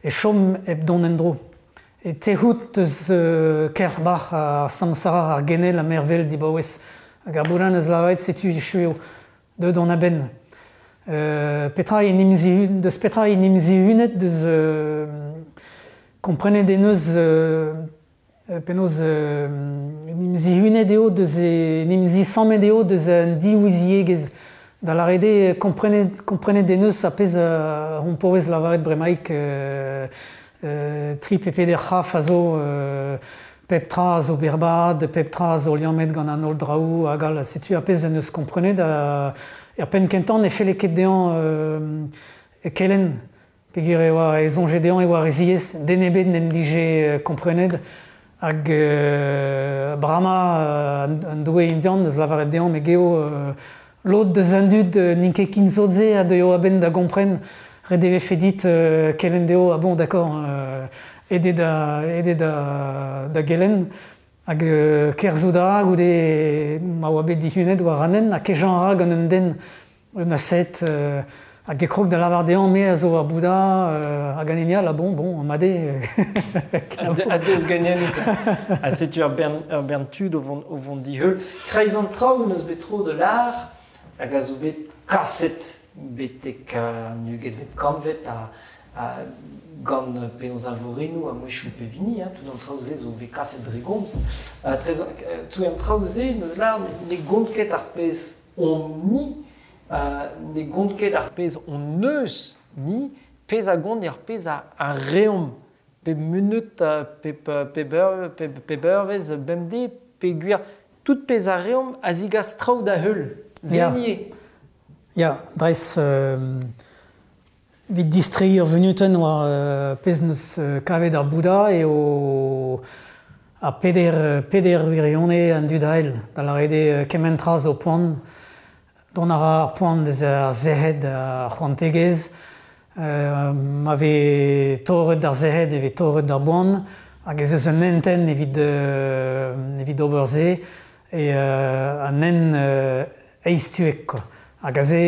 e chom hep dont en-dro. E tec'hout eus euh, Kerbach ar samsara ar genel ha mervel dibaouez. Hag ar Bouddha neus lavaret setu echu eo, deut on a-benn. Euh, petra e n'im zihun, deus petra e n'im zihunet deus euh, komprenet e neus euh, penaos euh, n'im zihunet eo deus e n'im zisammet eo deus an diouiziegezh. Da lâret eo komprenet, komprenet e neus ar pezh euh, hon paouez lavaret bremaik euh, euh, tri pe peder c'hraf a zo euh, pep tra a zo berrbad, pep tra a zo liammet gant an holl draoù hag all. Setu ar pezh en deus komprenet a, er penn kentañ ne felle ket dezhañ euh, kelenn. Peogwir e oa e soñje dezhañ e oa re ziaes, den ebet n'en dije komprenet. Hag euh, Brahma, euh, an doue indian, deus lavaret dezhañ me geo euh, lod deus an dud euh, n'int ket ken sot-se a deuio a-benn da gompren, ret e vefe dit euh, kelenn dezho, ah bon, d'accord, euh, aet eo da, aet eo da, da gelenn. Hag euh, kerzhout a ra goude ma oa bet dihunet war an hent, ha kejañ a ra gant un den, un ascète, euh, Hag e krog da lavar dezhañ me a zo ar Bouddha hag an hini all, bon, bon, made. A deus ganen. Ha setu ur bern, ur bern tud o vont, o vont diheul. Kreiz an traoù n'eus bet tro de l'art hag a zo bet kaset betek an ugentvet kantved a, a gant penaos alvorenoù a mouechou pebini, hein, tout an traoù-se zo bet kaset dre gomz. Tout an traoù-se n'eus l'art ne gont ket ar pezh on-ni, Uh, ne gont ket ar pezh on eus ni, pezh a gont ar pezh a, a reomp, pe munut, pe, pe, pe, pe beurvez, bemdez, pe gwir, tout pezh a reomp a zigas traoù da heul, zenier. Ya, dres, euh, vit distreiñ ur vunutenn war euh, pezh neus kavet ar Bouddha eo a peder, peder wirionez an dud ael, da lâret eo kement tra zo poan, Dont a ra ar poan deus ar sec'hed ar c'hoantegezh, euh, ma vez torret d'ar sec'hed e vez torret d'ar boan, hag ez eus un hentenn evit, euh, evit ober se, e euh, an hent euh, eizhtuek, quoi. Hag aze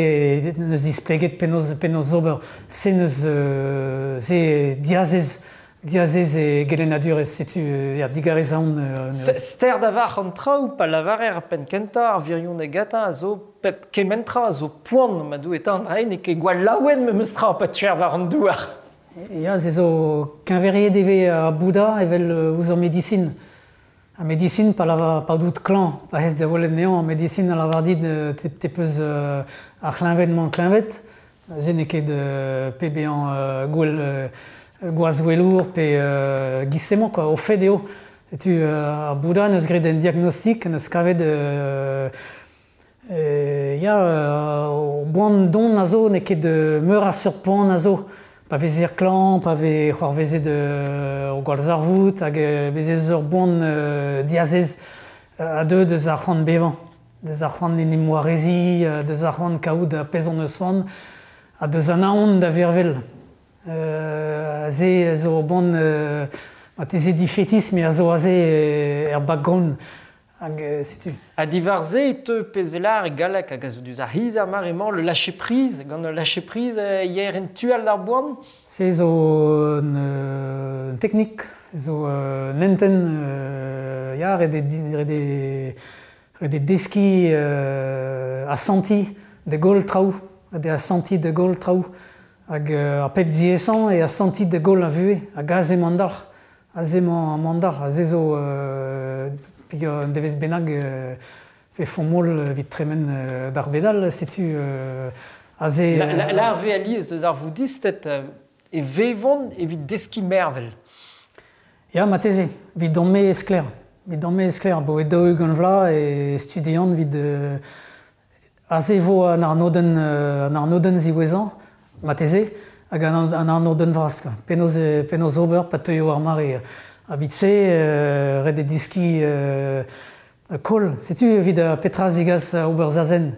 neus displeget penaos, penaos ober, se neus euh, se diazez, diazez e gelennadurezh, setu ya digarez aon. Euh, Ster da var an traoù pa lavarer ar penn kentañ ar wirionez gatañ a zo pep kement tra a zo poan ma dou eta an dra n'eo ket gwall laouen memes tra pa tuer war an douar. Ya, se zo keñveriet e vez ar Bouddha evel ouzh ar medisin. Ar medisin pa lavar pa dout klañv, pa hez da welet anezhañ, ar medisin a lavar dit te, te peus euh, ar c'hleñved-mañ kleñved, se n'eo ket euh, pe bezañ euh, gwell euh, gwazwelour pe euh, giz-se-mañ, quoi, o fed eo. Setu euh, ar Bouddha neus graet un diagnostik, neus kavet euh, euh, ya, euh, boan don a zo, n'eo ket meur a seurt poan a zo. Pa vezer klañv, pa vez c'hoarvezet euh, o gwallzarvoud, hag euh, bez ez ur boan euh, diazez a deu deus ar c'hoant bevañ, deus ar c'hoant en em warezi, deus ar c'hoant kaout ar pezh hon eus c'hoant, ha deus an aon da vervel. Euh, aze zo bon euh, marteze difetis, me a zo aze er background hag euh, setu. Ha diwar-se e teu pezh velar e galleg hag a zo diouzh ar c'hiz ar mare-mañ le lâcher prise, gant le lâcher prise hier en tual d'ar boan. Se zo un, un teknik, zo un hentenn, euh, ya, ret eo ret eo ret eo deskiñ euh, asantiñ da goll traoù, ret eo asantiñ da goll traoù. Hag euh, ar pep diaesañ e asantiñ da goll a vuhez, hag aze emañ an dalc'h, aze emañ an dalc'h, aze zo euh, peogwir un devezh bennak euh, fe font-moll evit tremen euh, d'ar bedal, setu euh, aze... La, la, la ar vez alies deus ar voudisted euh, e vevont evit deskiñ mervel. Ya, marteze, evit don me sklaer, evit don me sklaer, bo e daou-ugent vloaz e studian evit euh, aze vo an arnodenn, euh, an arnodenn ziwezhañ, marteze, hag an, an arnodenn vras, quoi. Penaos, penaos ober pa teuio ar mare. A vit-se, euh, ret eo deskiñ euh, koll. Setu evit petra zigas ober zazen,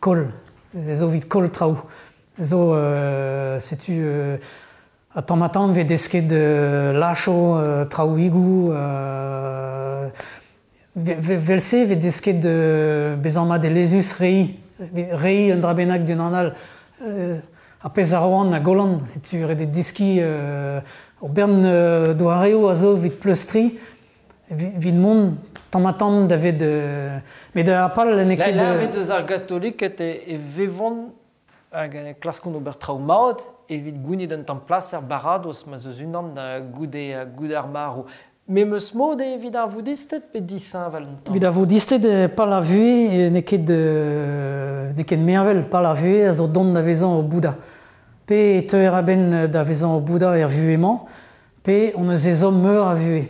koll. Ez zo evit koll traoù. Zo, euh, setu, euh, a tamm ha tamm vez desket euh, lacho, euh, traoùigoù, euh, vel-se vez desket euh, bezañ mat elezus reiñ, reiñ un dra bennak d'un an all. Euh, ar pezh a roan a gollan, setu ret eo deskiñ euh, ur bern euh, doareoù a zo evit pleustriñ, evit mont tamm ha tamm da vet euh, met da pal n'eo ket... La, la vez deus ar gatoliked e, e vevont hag klaskont ober traoù mat evit gounit un tamm plas er baradoz ma zeus unan goude, goude ar marv. Memes mod eo evit ar voudisted pe disheñvel un tamm? Evit ar voudisted, pal ar vuhez n'eo ket, n'eo ket mervel, pal ar vuhez a zo dont da vezañ o Bouddha. Pe e teuer a-benn da vezañ o Bouddha er vuhez-mañ, pe on eus ezhomm meur a vuhez.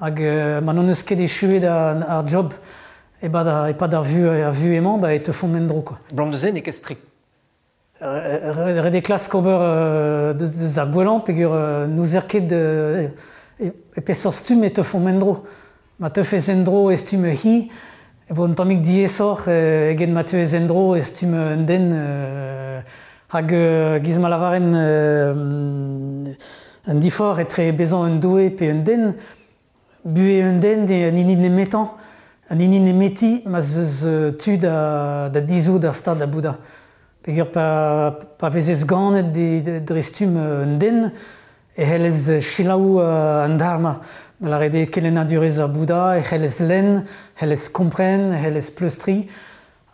Hag euh, ma n'hon eus ket echuet ar, ar job e-pad ar, e-pad ar vuhez, ar vuhez-mañ, ba e teufomp en-dro, quoi. Blam deus se n'eo ket strikt. Ret eo klask ober euh, deus, deus ar gwellañ peogwir euh, n'ouzer ket euh, e, e peseurt stumm e teufomp en-dro. Ma teufez en-dro e stumm hi, e vo un tammig diaesoc'h eget ma teuez en-dro e stumm un den euh, hag euh, giz ma lavaren euh, un diforc'h etre bezañ un doue pe un den, buhez un den eo an hini nemetañ, an hini nemeti ma zeus tu da, da dizout ar stad a Bouddha. Peogwir pa, pa vezez ganet dre stumm un den, e c'hellez selaou an dharma. Da lâret eo kelennadurezh ar Bouddha, e c'hellez lenn, c'hellez kompren, c'hellez pleustriñ.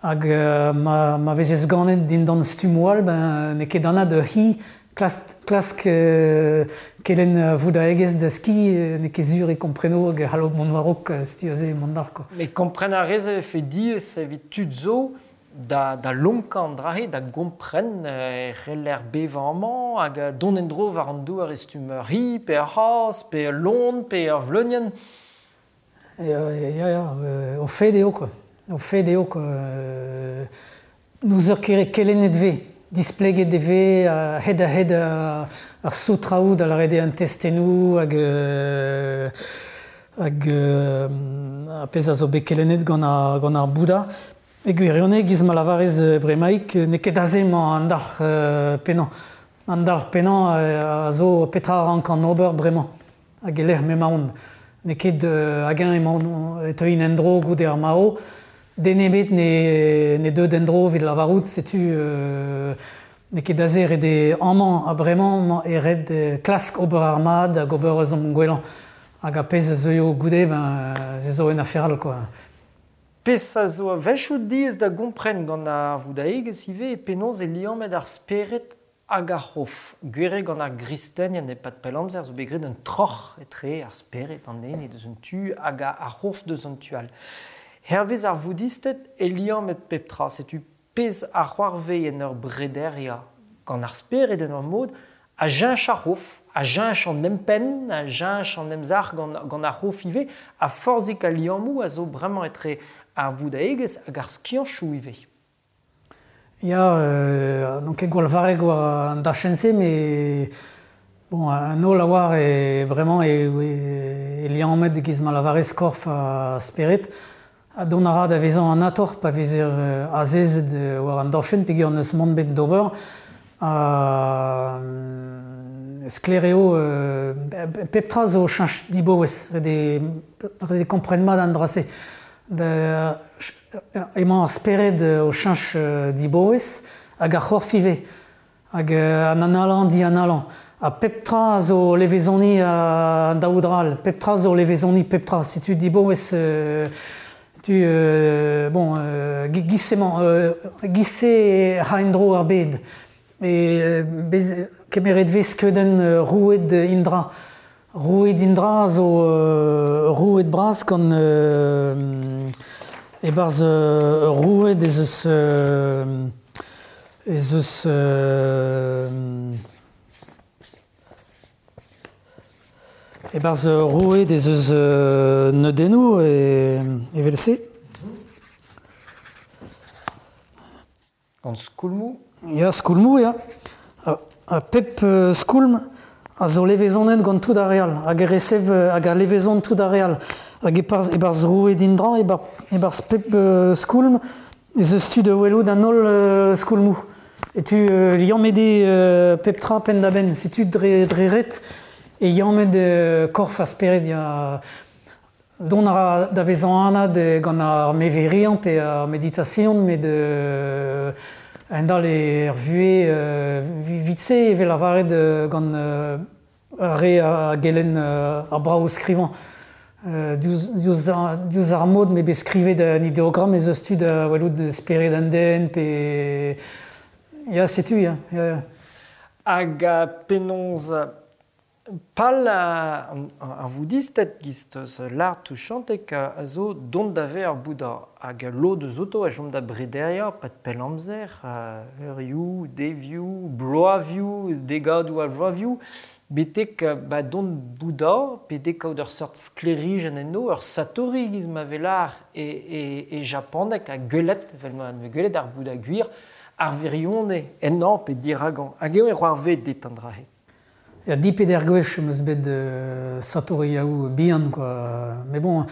Hag euh, ma, ma vezez ganet dindan stummoù all, ben, n'eo ket anat ur c'hi klask, klask euh, kelenn voudaegezh da ski, n'eo ket sur e kompreno hag e c'hallo mont war-raok, setu aze mont d'ar, quoi. Mais kompren a rez e vefe diaes evit tud zo da, da lonkañ an dra-se, da gompren e c'heller bevañ amañ hag dont en-dro war an douar e stumm ur c'hi, pe ur c'hazh, pe ul loen, pe ur vleunienn. Ya, ya, ya, o fed eo, quoi. O fed eo, quoi. N'ouzer ket kelennet vez, displeget e vez, hed-a-hed ar soutraoù da lâret eo an testennoù hag hag ar pezh a zo bet kelennet gant ar, gant ar Bouddha. E gwirionez, giz ma lavarez bremaik, n'eo ket aze emañ an dalc'h pennañ. An dalc'h pennañ a zo petra a rank an ober bremañ, hag e lec'h m'emaon. N'eo ket hag-eñ emaon e teuin en-dro goude ar marv, den ebet ne, ne deu d'en-dro evit lavarout, setu euh, n'eo ket aze ret eo amañ ha bremañ e ret klask ober ar mat hag ober eus an gwellañ. Hag ar pezh a zeuio goude, ben, se zo un afer all, quoi. Pezh a zo a-wechoù diaes da gompren gant ar voudaegezh ivez e penaos e liammet ar spered hag ar c'hof. Gwir eo gant ar gristenien e-pad pell amzer zo bet graet un troc'h etre ar spered, an ene deus un tu hag ar c'hof deus an tu all. Hervez ar voudisted e liammet pep tra, setu pezh a c'hoarvez en ur brederia gant ar spered en ur mod a cheñch ar c'hof, a cheñch an empenn, a cheñch an emzalc'h gant, gant ar c'hof ivez, ha forzhik a liammoù a zo bremañ etre ar voudaegezh hag ar skianchoù ivez. Ya, euh, n'on ket gwall varrek war an dachenn-se, met bon, an holl a oar e bremañ e, e, e liammet giz ma lavarez korf ha spered. Ha dont a ra da vezañ an ator pa vezer azezet war an dorchenn peogwir n'eus mann bet d'ober. Ha sklaer eo, euh, pep tra zo cheñch dibaouez, ret eo, ret eo kompren mat an dra-se. Da, emañ ar spered o cheñch dibaouez hag ar c'horf ivez, hag an analañ dianalañ. Ha pep tra zo levezoni an daou dra all, pep tra zo levezoni pep tra. Setu dibaouez, euh, tu, euh, bon, euh, giz-emañ, euh, giz-se ra en-dro ar bed. E bez, kemeret vez skeudenn roued Indra. Roued Indra zo euh, roued bras gant euh, e-barzh euh, roued ez eus euh, ez eus euh, e-barzh roued ez eus euh, neudennoù e evel-se. Gant skoulmoù? Ya, skoulmoù, ya. Ha, ha pep euh, skoulm a zo levezonet gant tout ar re all, hag e resev hag a levezon tout ar re all. Hag e-barzh, e-barzh roued Indra, e-barzh pep euh, skoulm, ez eus tu da welout an holl euh, skoulmoù. E tu euh, liammet eo euh, pep tra penn-da-benn, setu dre, dre ret e liammet euh, korf ha spered. Ya, dont a ra da vezañ anat gant ar meveriañ pe ar meditasion, met euh, a-hend-all er vuhez euh, vit-se e vez lavaret euh, gant euh, ar re a gelenn euh, ar brav skrivañ. Euh, diouzh, ar, diouzh ar mod m'eo bet skrivet an ideogramm ez eus tu da welout spered an den pe... Ya, setu, ya. Ya, ya. Hag penaos pal ar voudisted giz eus l'art touchantek a zo dont da ver ar Bouddha. Hag lod eus oto a chom da brederia, pad pell amzer, eurioù, devioù, bloavioù, degadoù a vloavioù, betek ba dont Bouddha, betek kaout ur seurt sklêrijenn enno, ur satori giz ma vez lar e, e, e japaneg ha gwelet, evel ma gwelet ar Bouddha gwir, ar wirionez ennañ pe diragañ. Hag eo e c'hoarvez dit an dra-se. Ya, di peder gwech em eus bet euh, satoriaoù bihan, quoi. Mais bon...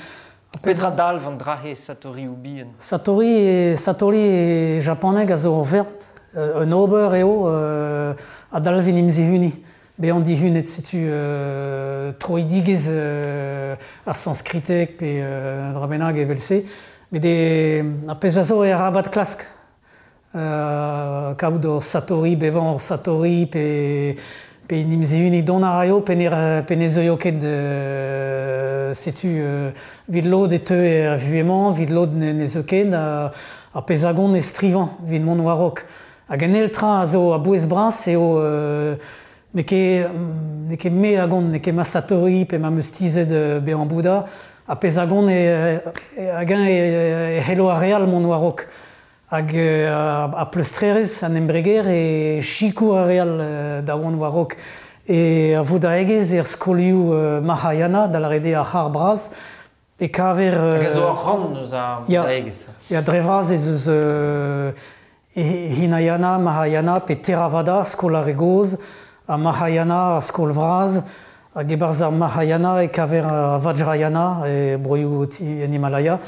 Petra dalv an dra-se satorioù bihan? Satori e, satori e japaneg a zo ur verb, un ober eo, euh, a dalv en em zihuniñ. Bezañ dihunet, setu euh, troidigezh euh, ar sanskriteg pe euh, dra bennak evel-se. Met e, ar pezh a zo e arabat klask. Euh, kaout ur satori, bevañ ur satori, pe, pe en em zihuniñ dont a raio, pe ne, pe ne zeuio ket euh, setu euh, evit lod e teu er vuhez-mañ, evit lod ne, ne zeu ket, a, ar pezh a gont e strivañ evit mont war-raok. Hag an eil tra a zo a-bouez bras eo euh, n'eo ket, n'eo ket me a gont, n'eo ket ma satori pe ma 'm eus tizhet bezañ Bouddha, ar pezh a gont e, e, hag-eñ e, e c'hello ar re all mont war-raok. Hag euh, ar pleustrerezh an embreger e sikour ar re all euh, da vont war-raok. E ar voudaegezh er skolioù euh, Mahayana, da lâret eo ar c'har bras, e kaver... Euh, Hag a zo ur rann eus ar voudaegezh. Ya, dre vras ez eus euh, Hinayana, Mahayana, pe Theravada, skol ar re gozh, ha Mahayana, ar skol vras, hag e-barzh ar Mahayana e kaver ar Vajrayana, e broioù en Himalaya,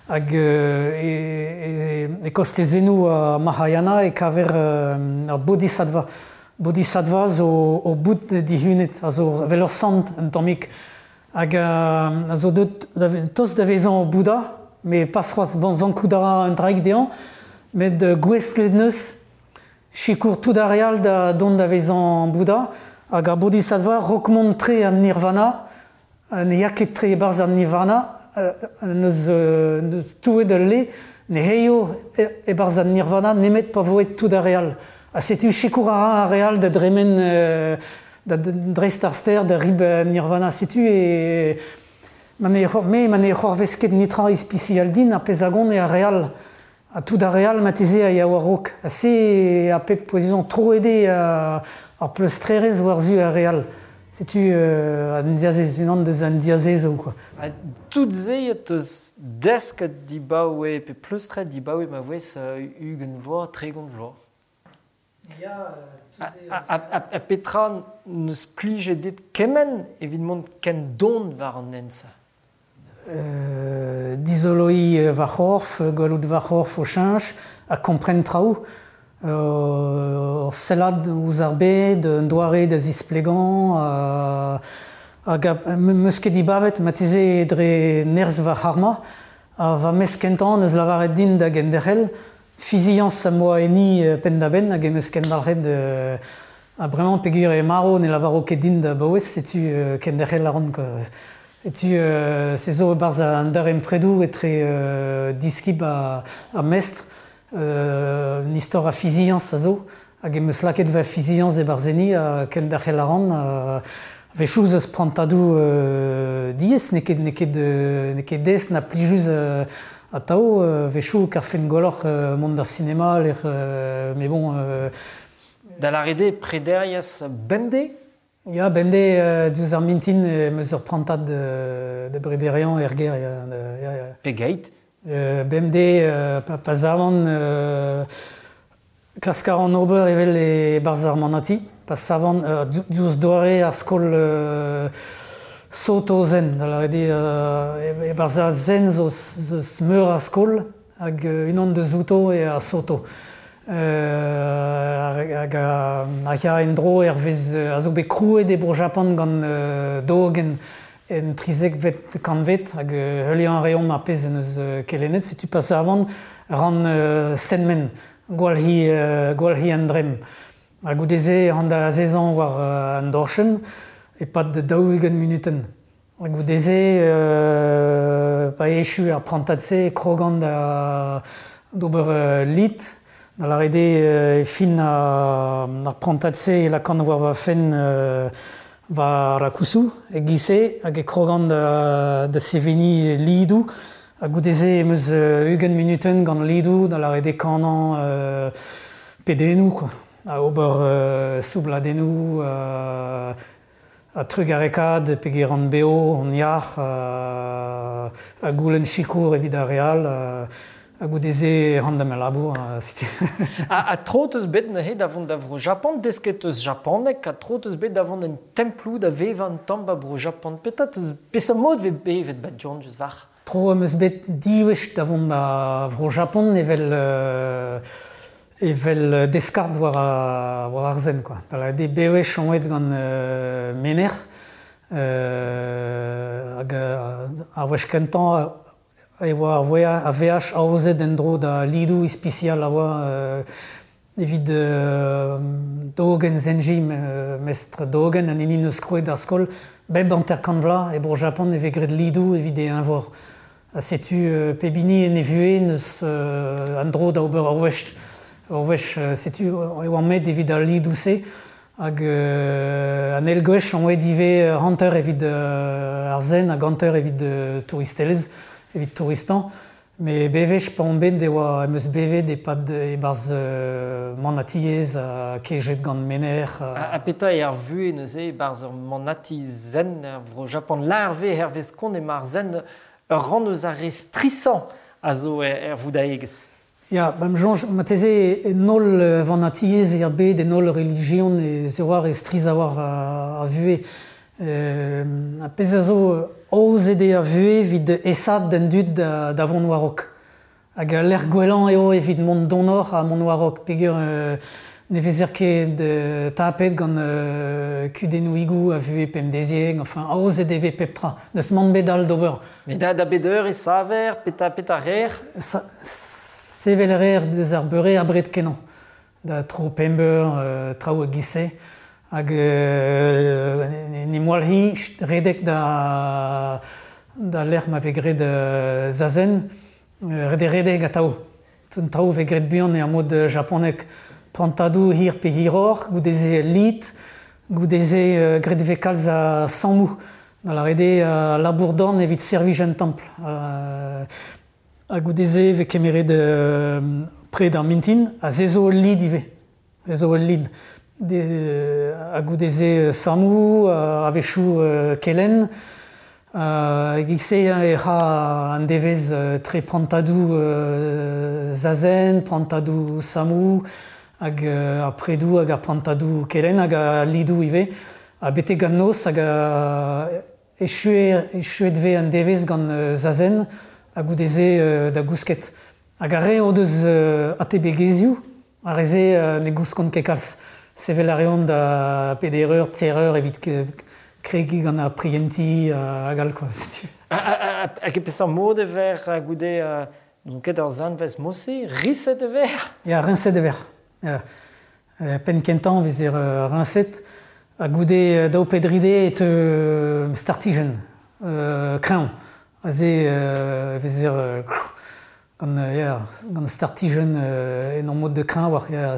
hag euh, e, e, e kostezennoù a Mahayana e kaver euh, ar Bodhisattva. Bodhisattva zo o bout dihunet, a zo evel ur sant un tammig, hag euh, a zo deut da, tost da vezañ Bouddha, met pas c'hoazh, bon, vankout a ra un draig dezhañ, met gouestlet neus sikour tout ar re all da dont da vezañ Bouddha, hag ar Bodhisattva rok mont tre an nirvana, ne ya ket tre e-barzh an nirvana, neus, neus touet ul le, ne heio e-barzh an nirvana nemet pa vo aet tout ar re all. Ha setu sikour a ra ar re all da dremen euh, da dreist ar stêr da rib nirvana. Setu e ma ne, me ma ne c'hoarvez ket netra ispisial din ar pezh a gont eo ar re all. Ha tout ar re all marteze a ya war-raok. Ha se a pep pouezusañ troet eo ar pleustrerezh war-zu ar re all. Setu euh, an diazez, unan deus an diazezoù quoi. Ha tout se e teus desket dibaoe pe pleustret dibaoe ma voes ugent vloaz, tregont vloaz. Ya, tout se... Ha, ha, ha, ha petra neus plijet dit kement evit mont ken don war an hent-se? Euh, dizoloiñ va c'horf, gwelout va c'horf o cheñch, ha kompren traoù. Euh, ur sellad ouzh ar bed, un doare da zisplegañ, euh, hag 'm eus ket dibabet marteze dre nerzh va c'harma, ha va mestr kentañ neus lavaret din da genderc'hel, fiziañs am boa enni penn-da-benn hag em eus kendalc'het euh, ha bremañ peogwir eo marv ne lavaro ket din da baouez, setu euh, kenderc'hel a ran quoi. Setu euh, se zo e-barzh an darempredoù etre euh, diskib ha, ha mestr, euh, un istor a fiziañs a zo, hag em eus lakaet va fiziañs e-barzh enni ha kenderc'hel a ran, euh, a-wechoù eus prantadoù euh, diaes, n'eo ket, n'eo ket, n'eo ket aes na plijus euh, atav, a-wechoù karfen gwelloc'h euh, mont d'ar sinema, lec'h, euh, mais bon... Euh, Da lâret eo prederiez bemdez? Ya, bemdez euh, diouzh ar mintin em eus ur prantad de, de brederiañ er gêr. Ya, ya, ya. Pegeit? Euh, bemdez euh, pa, pa savan euh, klask a ran ober evel e-barzh ar manati, pa savan euh, diouzh doare ar skol euh, Soto zen, da lâret eo euh, e-barzh ar zen zo, zo meur a skol hag unan deus outo eo ar Soto. Euh, hag a ya en-dro hervez a zo bet krouet e Bro-Japan gant euh, Dogen en trizekvet kantved hag heuliañ a reomp ar pezh en eus kelennet, setu pa savan ran euh, senmen, gwalc'hiñ euh, gwalc'hiñ an dremm. Ha goude-se ran da azezañ war euh, an dorchenn e-pad daou-ugent munutenn. Ha goude-se euh, pa echu ar prantad-se e krogan da d'ober euh, lid, da lâret eo e fin ar prantad-se e lakaan war va fenn euh, va rakusu e-giz-se hag e krogan da, da seveniñ lidoù. Ha goude-se em eus ugent munutenn gant lidoù, da lâret eo kanañ euh, pedennoù quoi. Ha ober euh, soubladennoù, euh, ha trugarekaat peogwir on bev, on yac'h, euh, ha goulenn sikour evit ar re all, euh, ha goude-se ran da ma labour. Ha, ha tro teus bet neuze da vont da Vro-Japan, desket teus japaneg, ha tro teus bet da vont en temploù da vevañ un tamm ba Bro-Japan. Petra teus peseurt mod vez bevet ba du-hont diouzh war? Tro am eus bet div wech da vont da Vro-Japan evel euh, evel deskard war, a, war ar zen quoi. Da lâret eo bewech on aet gant euh, menec'h, euh, hag ar wech kentañ E oa ar veaj aozet en-dro da lidoù ispisial a oa euh, evit euh, Dogen Zenji, mestr Dogen, an hini neus krouet ar skol, bep hanter-kant vloaz e bro Japan e vez graet lidoù evit e eñvor. Ha setu euh, pep hini en e vuhez neus euh, an dro da ober ur wech. Ur wech, setu e oa met evit al lidoù-se, hag euh, an eil gwech on oa ivez hanter evit euh, ar zen hag hanter evit euh, touristelezh, evit touristan. Me bevech pa on bet e oa em eus bevet e-pad e-barzh euh, manatiez ha kejet gant mener. Ha, ha petra eo ar vuhez neuze e-barzh ur manati zen er vro Japan larve hervez kont emañ ar zen ur rann eus ar re strisañ a zo er, er voudaegezh. Ya, ba'm soñj marteze en holl vanatiez er bed, en holl relijion e zo war e striz a war ar vuhez. Euh, ar pezh a zo aozet eo ar vuhez evit aesaat d'an dud da, da vont war-raok. Hag al lec'h gwellañ eo evit mont donoc'h ha mont war-raok peogwir euh, ne vezer ket euh, tapet gant euh, kudennoùigoù a vuhez pemdeziek, enfin aozet e vez pep tra. N'eus mann bet all d'ober. Met da, da bet eur e saver, petra petra reer? Sa, sevel a reer deus ar beure abred kenañ. Da tro pemp eur, euh, traoù e-giz-se. Hag euh, ne moalc'hi redek da, da lec'h ma vez graet euh, zazen, ret eo redek atav. Tout an traoù vez graet buan er mod japonek. Prantadoù hir pe hiroc'h, goude-se lid, goude-se euh, graet vez kalz a sammoù. Da lâret eo uh, labour dorn evit servij an templ. Uh, ha goude-se vez kemeret euh, pred ar mintin, ha se zo ul lid ivez. Se zo ul lid. De, ha goude-se sammoù, a-wechoù kelenn. E-giz-se e ra an devezh tre prantadoù zazen, prantadoù sammoù, hag ar predoù hag ar prantadoù kelenn hag ar lidoù ivez. Ha betek an noz hag echuet, echuet vez an devezh gant zazen ha goude-se da gousket. Hag ar re o deus atebegezhioù, ar re-se ne gouskont ket kalz. Sevel a reont da peder eur, teir eur evit kregiñ gant ar prientiñ hag all, quoi, setu. Hag e peseurt mod e ver goude n'on ket ur zanvez mod-se, riñset e ver? Ya, riñset e ver. Ya. Penn kentañ vezer riñset, ha goude daou pe dri deiz e teu startijenn, kreñv. Aze e vezer gant, ya, gant startijenn en ur mod de kreñv war, ya,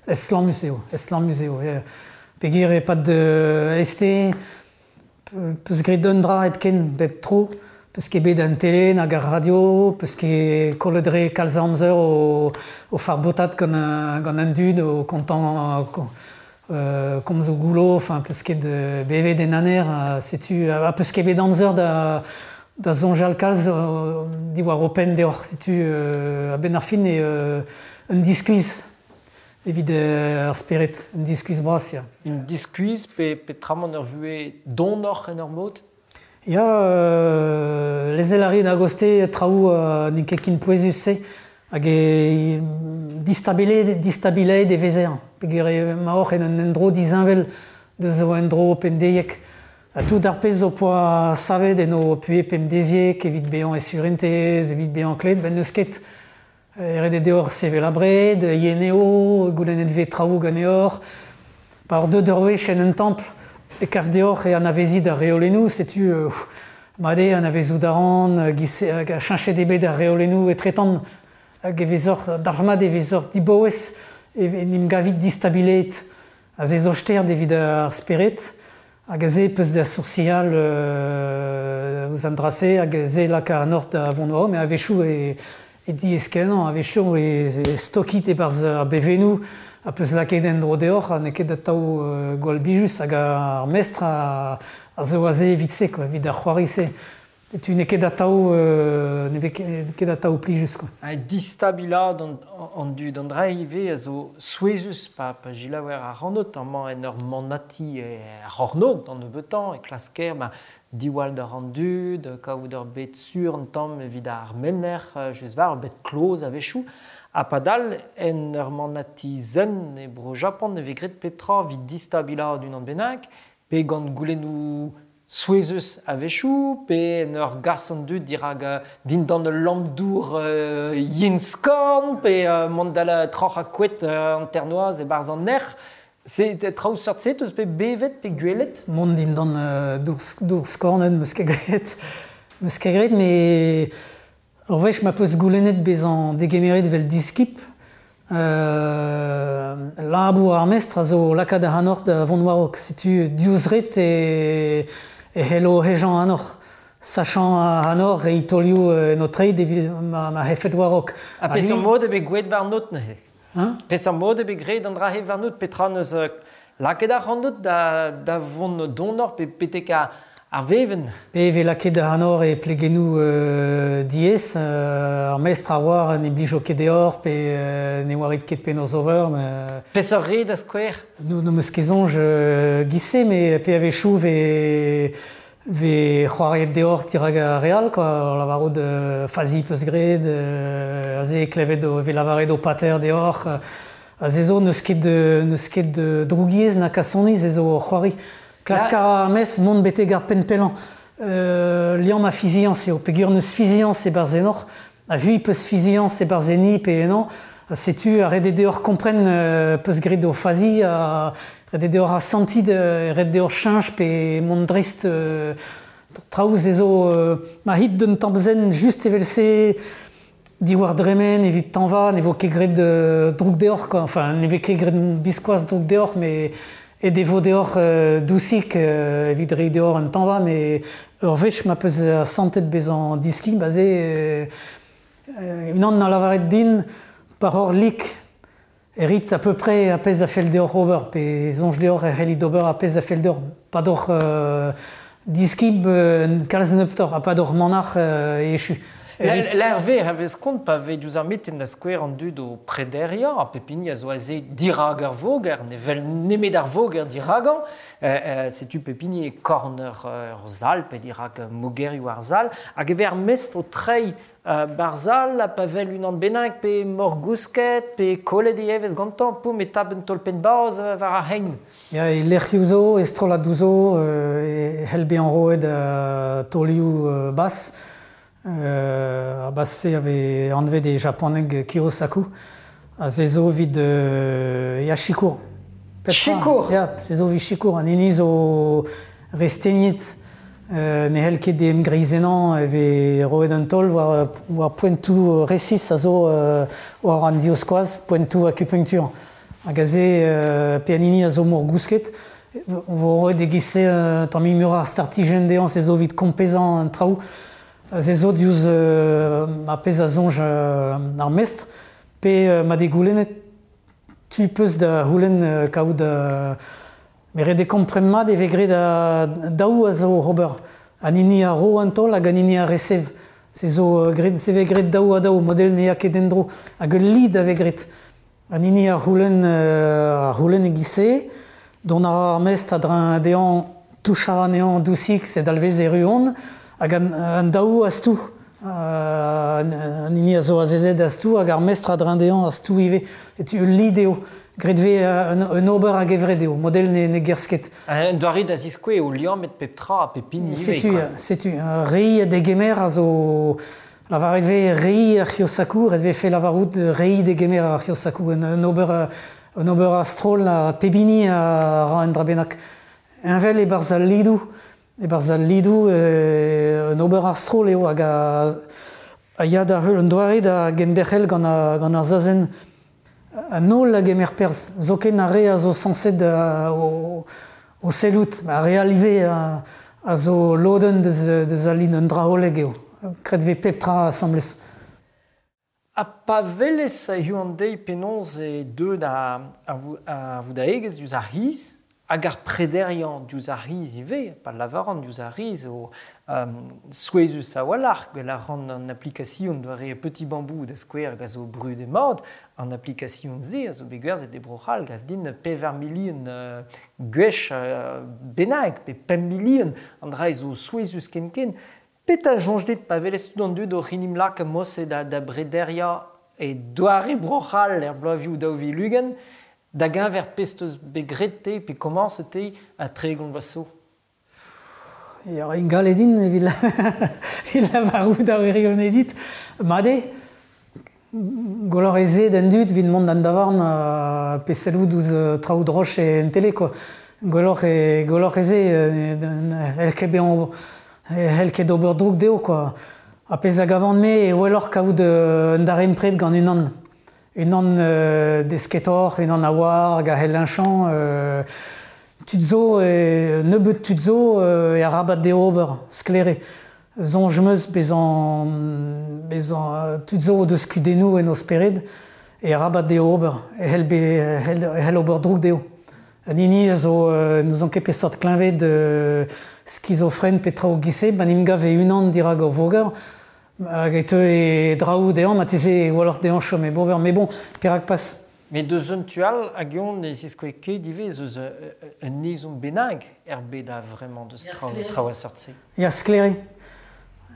estlammus eo, estlammus eo, ya. Peogwir e-pad este, peus graet un dra hepken bep tro, peus ket bet an tele nag ar radio, peus ket kollet re kalz amzer o, o farbotat gant, gant an dud, o kontañ euh, komzoù goullo, enfin peus ket bevet en aner, setu, ha peus ket bet amzer da da soñjal kalz diwar ho penn deoc'h, setu euh, a-benn ar fin eo euh, un diskuizh evit ar spered, un diskuizh bras, ya. Un diskuizh pe, pe tramant ur vuhez donoc'h en ur mod? Ya, euh, lezel a rit a-goste traoù euh, n'int ket ken pouezus-se, hag e distabilet, distabilaet e vezer. Peogwir emaoc'h en un endro disheñvel deus ho endro pemdeiek. Ha tout ar pezh zo poa savet en ho puhez pemdeziek evit bezañ e surentez, evit bezañ klet, ben n'eus ket. Ret eo deoc'h sevel abred, yen eo, goulennet vez traoù ganeoc'h. Pa oc'h deuet ur wech en un templ, e kav deoc'h e anavezit ar reolennoù, setu euh, mat eo anavezout a ran, hag a cheñchet eo bet ar reolennoù etretant, hag e vezoc'h dalc'hmat e vezoc'h dibaouez, e en em gavit distabilet. Ha se zo stert evit ar spered, hag aze peus da soursial euh, ouzh an dra-se, hag se laka an hoc'h da vont war, met a-wechoù e, e diaes-kenañ, a-wechoù e stokit e-barzh ar bevennoù, ha peus lakaet en-dro deoc'h, ha n'eo ket atav euh, gwall blijus, hag ar mestr a, a zo aze evit se, quoi, evit ar c'hoari-se. Setu n'eo ket atav, euh, ne vez ket atav plijus, quoi. Ha distabilaat an, an dud an dra ivez a zo souezhus pa, pa selaouer ar c'hanot amañ en ur manati er c'hornôg d'an nebeutañ e klasker ma diwall d'ar an dud, kaout ur bed sur an tamm evit ar menner, just war ur bed kloz a-wechoù. Ha padal en ur manati zen e bro Japan ne vez graet pep tra evit distabilaat unan bennak, pe gant goulennoù souezhus a-wechoù, pe en ur gas an dud dirak uh, dindan ul lamm-dour uh, yen skorn, pe uh, mont da la troc'h a kouet uh, an ternoaz e-barzh an nec'h. Se traoù seurt-se teus bet bevet pe gwelet? Mont dindan uh, dour, dour skornet meus ket graet. Meus ket graet, met ur wech ma peus goulennet bezañ degemeret vel diskib, euh, labour ar mestr a zo lakaat ac'hanoc'h da vont war-raok. Setu diouzh ret e, e c'hello hejañ ac'hanoc'h. Sachañ ac'hanoc'h reiñ taolioù en ho treid evit ma, ma c'hefet war-raok. Ha peseurt mod eo bet gwelet warnout neuze? Hein? Peseurt mod eo bet graet an dra-se warnout? Petra neus lakaet ac'hanout da, da vont donoc'h pe betek ar, ar vevenn? Pe e vez lakaet ac'hanoc'h e plegennoù euh, diaes, euh, ar mestr a oar ne blijo ket deoc'h pe euh, ne oarit ket penaos ober. Mais... Peseurt re da skouer? No, no meus ket soñj euh, giz-se, met pe a-wechoù vez vez c'hoariet deoc'h dirak ar re all, quoi, lavarout euh, fazi peus graet, euh, aze klevet o, vez lavaret o pater deoc'h, euh, aze zo n'eus ket de, n'eus ket de drougiezh na kasoni, se zo c'hoari. Klask a ra ar mestr mont betek ar penn pellañ. Euh, liamm a fiziañs eo, peogwir n'eus fiziañs e-barzh ennoc'h, ha c'hwi peus fiziañs e-barzh enni pe ennañ, ha setu ar ret eo deoc'h kompren euh, peus graet o fazi, ha ret eo deoc'h asantiñ, ret deoc'h cheñch pe mont dreist euh, traoù se zo euh, ma hit d'un tamm zen just evel-se diwar dremen evit tañva, ne vo ket graet euh, droug deoc'h, quoi. Enfin, ne vez ket graet biskoazh droug deoc'h, met e devo deoc'h euh, dousik euh, evit reiñ deoc'h un tañva, met ur wech ma peus asantet bezañ diskib, aze euh, euh, unan na lavaret din par hor lik e rit à peu près a pezh a fell deoc'h ober, pe soñj deoc'h e c'hellit ober a pezh a fell deoc'h. Pa doc'h euh, diskib euh, kalz nebeutoc'h, ha pa doc'h manac'h euh, e echu. L'Hervé hervez kont pa vez diouzh ar meten da skouer an dud o prederiañ, ha pep hini a zo aze dirak ar voger, ne vel nemet ar voger diragañ, euh, euh, setu pep hini e korn ur, ur sal, pe dirak mogerioù ar sal, hag e vez ar mestr o treiñ euh, bar sal, ha pa vel unan bennak, pe morgousket, pe kollet e evezh gantañ, poum e tap un taol penn-bazh war ar c'hein. Ya, e lec'hioù zo, e strolladoù zo, euh, e c'hell bezañ roet euh, taolioù euh, bas. Euh, ar bas-se a vez anvet e japaneg Kyosaku, ha se zo evit euh, ya sikour. Petra? Sikour? Ya, se zo evit sikour. An hini zo re stegnet, euh, ne c'hell ket em greizennañ e vez roet un taol war, war poentoù resis a zo euh, war an divskoaz, poentoù akupunktur. Hag aze euh, pe an hini a zo morgousket, vo roet e giz-se euh, tamm muioc'h ar startijenn dezhañ, se zo evit kompezañ an traoù. Se zo diouzh euh, ar pezh a soñj euh, ar mestr, pe euh, ma degoulennet tu peus da c'houlenn euh, kaout euh, met ret eo kompren mat e vez graet a daou a zo ober. An hini a ro an taol hag an hini a resev. Se zo euh, graet, se vez graet daou ha daou, model ne ya ket en-dro. Hag ul lid a vez graet. An hini a c'houlenn euh, a c'houlenn e giz-se, dont a ra ar mestr a-dreñv dezhañ touchañ anezhañ dousik, se dalvez erru on, hag an, an daou a stou. Euh, an hini a zo azezet a stou, hag ar mestr a-dreñv dezhañ a stou ivez. Et ul lid eo. Graet vez un, un ober a-gevret eo, model ne, ne gerzh ket. Un doare da ziskouez eo liammet pep tra ha pep hini ivez, Setu, quoi. setu, reiñ degemer a zo lavaret vez reiñ ar Kyosaku, ret vefe lavarout reiñ degemer ar Kyosaku, un, un ober un ober a-stroll ha pep hini a ra un dra bennak. Heñvel e-barzh al lidoù, e-barzh al lidoù, euh, un ober a-stroll eo hag a, a ya da heul un doare da genderc'hel gant, a, gant ar zazen. An holl a gemer perzh, zoken ar re a zo sañset da, o, o sellout, ar re all ivez a, a zo lodenn deus, deus al lid un dra hollek eo. Graet vez pep tra asambles. Ha pa welez hiziv an deiz penaos eo deuet ar, ar, ar voudaegezh diouzh ar c'hiz, hag ar prederiañ diouzh ar c'hiz ivez, pa lavaran diouzh ar c'hiz o um, souezhus a-walc'h, gwell a ran an application doare Petit Bambou da skouer hag a zo brudet mat, an application-se a zo bet gwerzhet e Bro-C'hall gav din pevar milion uh, gwech uh, bennak, pe pemp milion, an dra zo souezhus ken-ken. Petra soñj dit pa welez tout an dud oc'h en em lak mod-se da, da brederiañ e doare Bro-C'hall er bloavezhioù daou vil ugent, da geñver pezh teus bet graet te pe komañset te ha tregont vloaz zo? Ya ingal edin evit evit lavarout ar wirionez dit. Mat eo, gwelloc'h ez eo d'an dud evit mont d'an davarn ha pe sellout ouzh traoù droch en tele quoi. Gwelloc'h eo gwelloc'h ez eo n'hell ket bezañ n'hell ket ober droug dezho quoi. Ha pezh a gavan-me eo gwelloc'h kaout un darempred gant unan. Unan euh, desketoc'h, unan a oar hag a c'hell heñchañ. Euh, tud zo, e, nebeut tud zo e arabat dezho ober, sklaer eo. Soñj 'm eus bezañ, bezañ tud zo o deus kudennoù en o spered e arabat dezho ober, e c'hell be, e c'hell ober droug dezho. An hini a zo, n'ouzon ket peseurt kleñved euh, skizofren pe traoù giz-se, ma 'n em gav e-unan dirak ur voger, hag e teu e draoù dezhañ, marteze gwelloc'h dezhañ chom hep ober. Mais bon, perak pas. Met deus un tu all hag eon ne ziskoe ket ivez eus un ezhomm bennak er bed a vremañ deus traoù, traoù a seurt-se. Ya sklaer eo.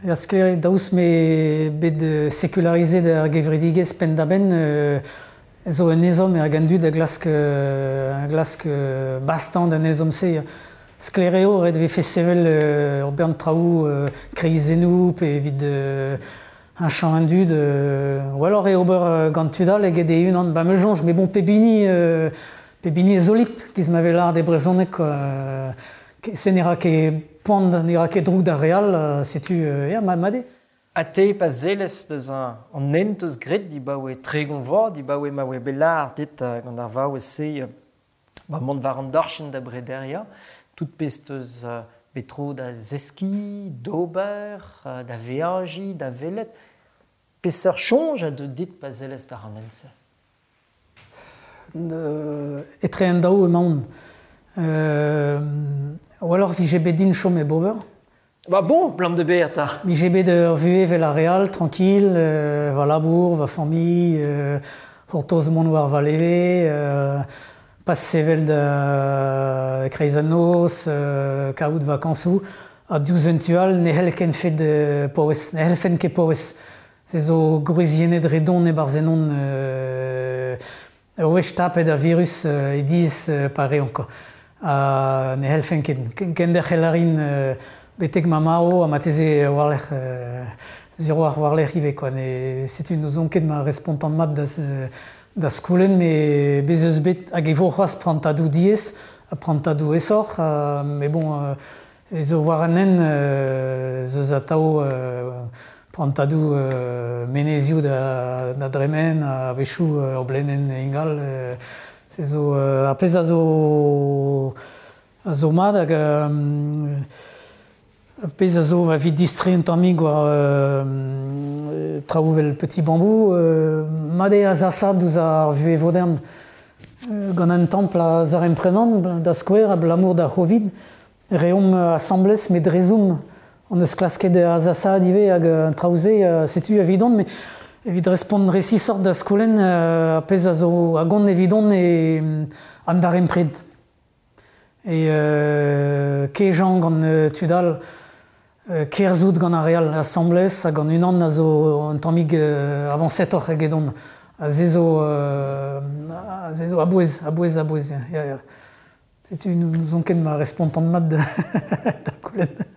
Ya sklaer eo, daoust m'eo bet sekularizet ar gevredigezh penn-da-benn, euh, zo un ezhomm hag an dud a glask, a glask bastañ d'an ezhomm-se. Sklaer eo, ret e vefe sevel ur bern traoù kreizennoù pe evit heñchañ an dud. Gwelloc'h eo ober gant tud all eget e-unan. Ba me soñj, mais bon, pep hini, pep hini e zolip, giz ma vez lâret e brezhoneg quoi. Se ne ra ket poan, ne ra ket droug d'ar re all, setu ya, mat mat eo. Ha te pa sellez deus an hent eus graet dibaoe tregont vloaz, dibaoe ma oa bet lâret dit gant ar vaouez-se ba mont war an dachenn da brederiañ, tout pezh teus bet tro da zeskiñ, d'ober, da veajiñ, da welet. Peseurt soñj a deu dit pa sellez war an hent-se? Etre an daou emaon. Euh, gwelloc'h vije bet din chom hep ober. Ba bon, blam de bet 'ta. Vije bet ur vuhez evel ar re all, tranquille, euh, va labour, va familh, euh, c'hortoz mont war va leve, euh, pas sevel da kreiz an noz, euh, kaout vakañsoù. Ha diouzh un tu all, ne c'hell ken fet paouez, ne c'hellfen ket paouez. Se zo gwriziennet re don e-barzh ennon euh, ur wech tapet ar virus euh, e diaes euh, pareañ quoi. Ha ne c'hellfen ket. Kenderc'hel a rin euh, betek ma marv ha marteze war-lerc'h euh, sur war war-lerc'h ivez quoi. Ne, setu n'ouzon ket ma respontan mat da, da skoulenn, met bez eus bet hag e vo c'hoazh prantadoù diaes ha prantadoù aesoc'h, euh, mais bon, euh, ez zo war an hent euh, ez eus atav euh, prantadoù euh, menezioù da, da dremen, a-wechoù ur blenenn ingal. Euh, se zo, euh, ar pezh a zo, a zo mat hag euh, ar pezh a zo evit distreiñ un tammig war euh, traoù evel Petit Bambou, euh, mat eo azasaat ouzh ar vuhez vodern. Euh, gant an templ a zaremprenan, da skouer, abalamour d'ar Covid, reomp asambles, met dre Zoom. On eus klasket azasaat ivez hag an traoù-se, setu evidon, mais evit respont resisoc'h da skoulenn, ar pezh a zo a gont evidon eo an darempred. E euh, kejañ gant tud all, kerzhout gant ar re all asambles hag gant unan a zo un tammig euh, avañsetoc'h egedon. A se zo, euh, a se zo a-bouez, a-bouez, a-bouez, ya, ya. Setu n'ouzon ket ma respontan mat da, da goulenn.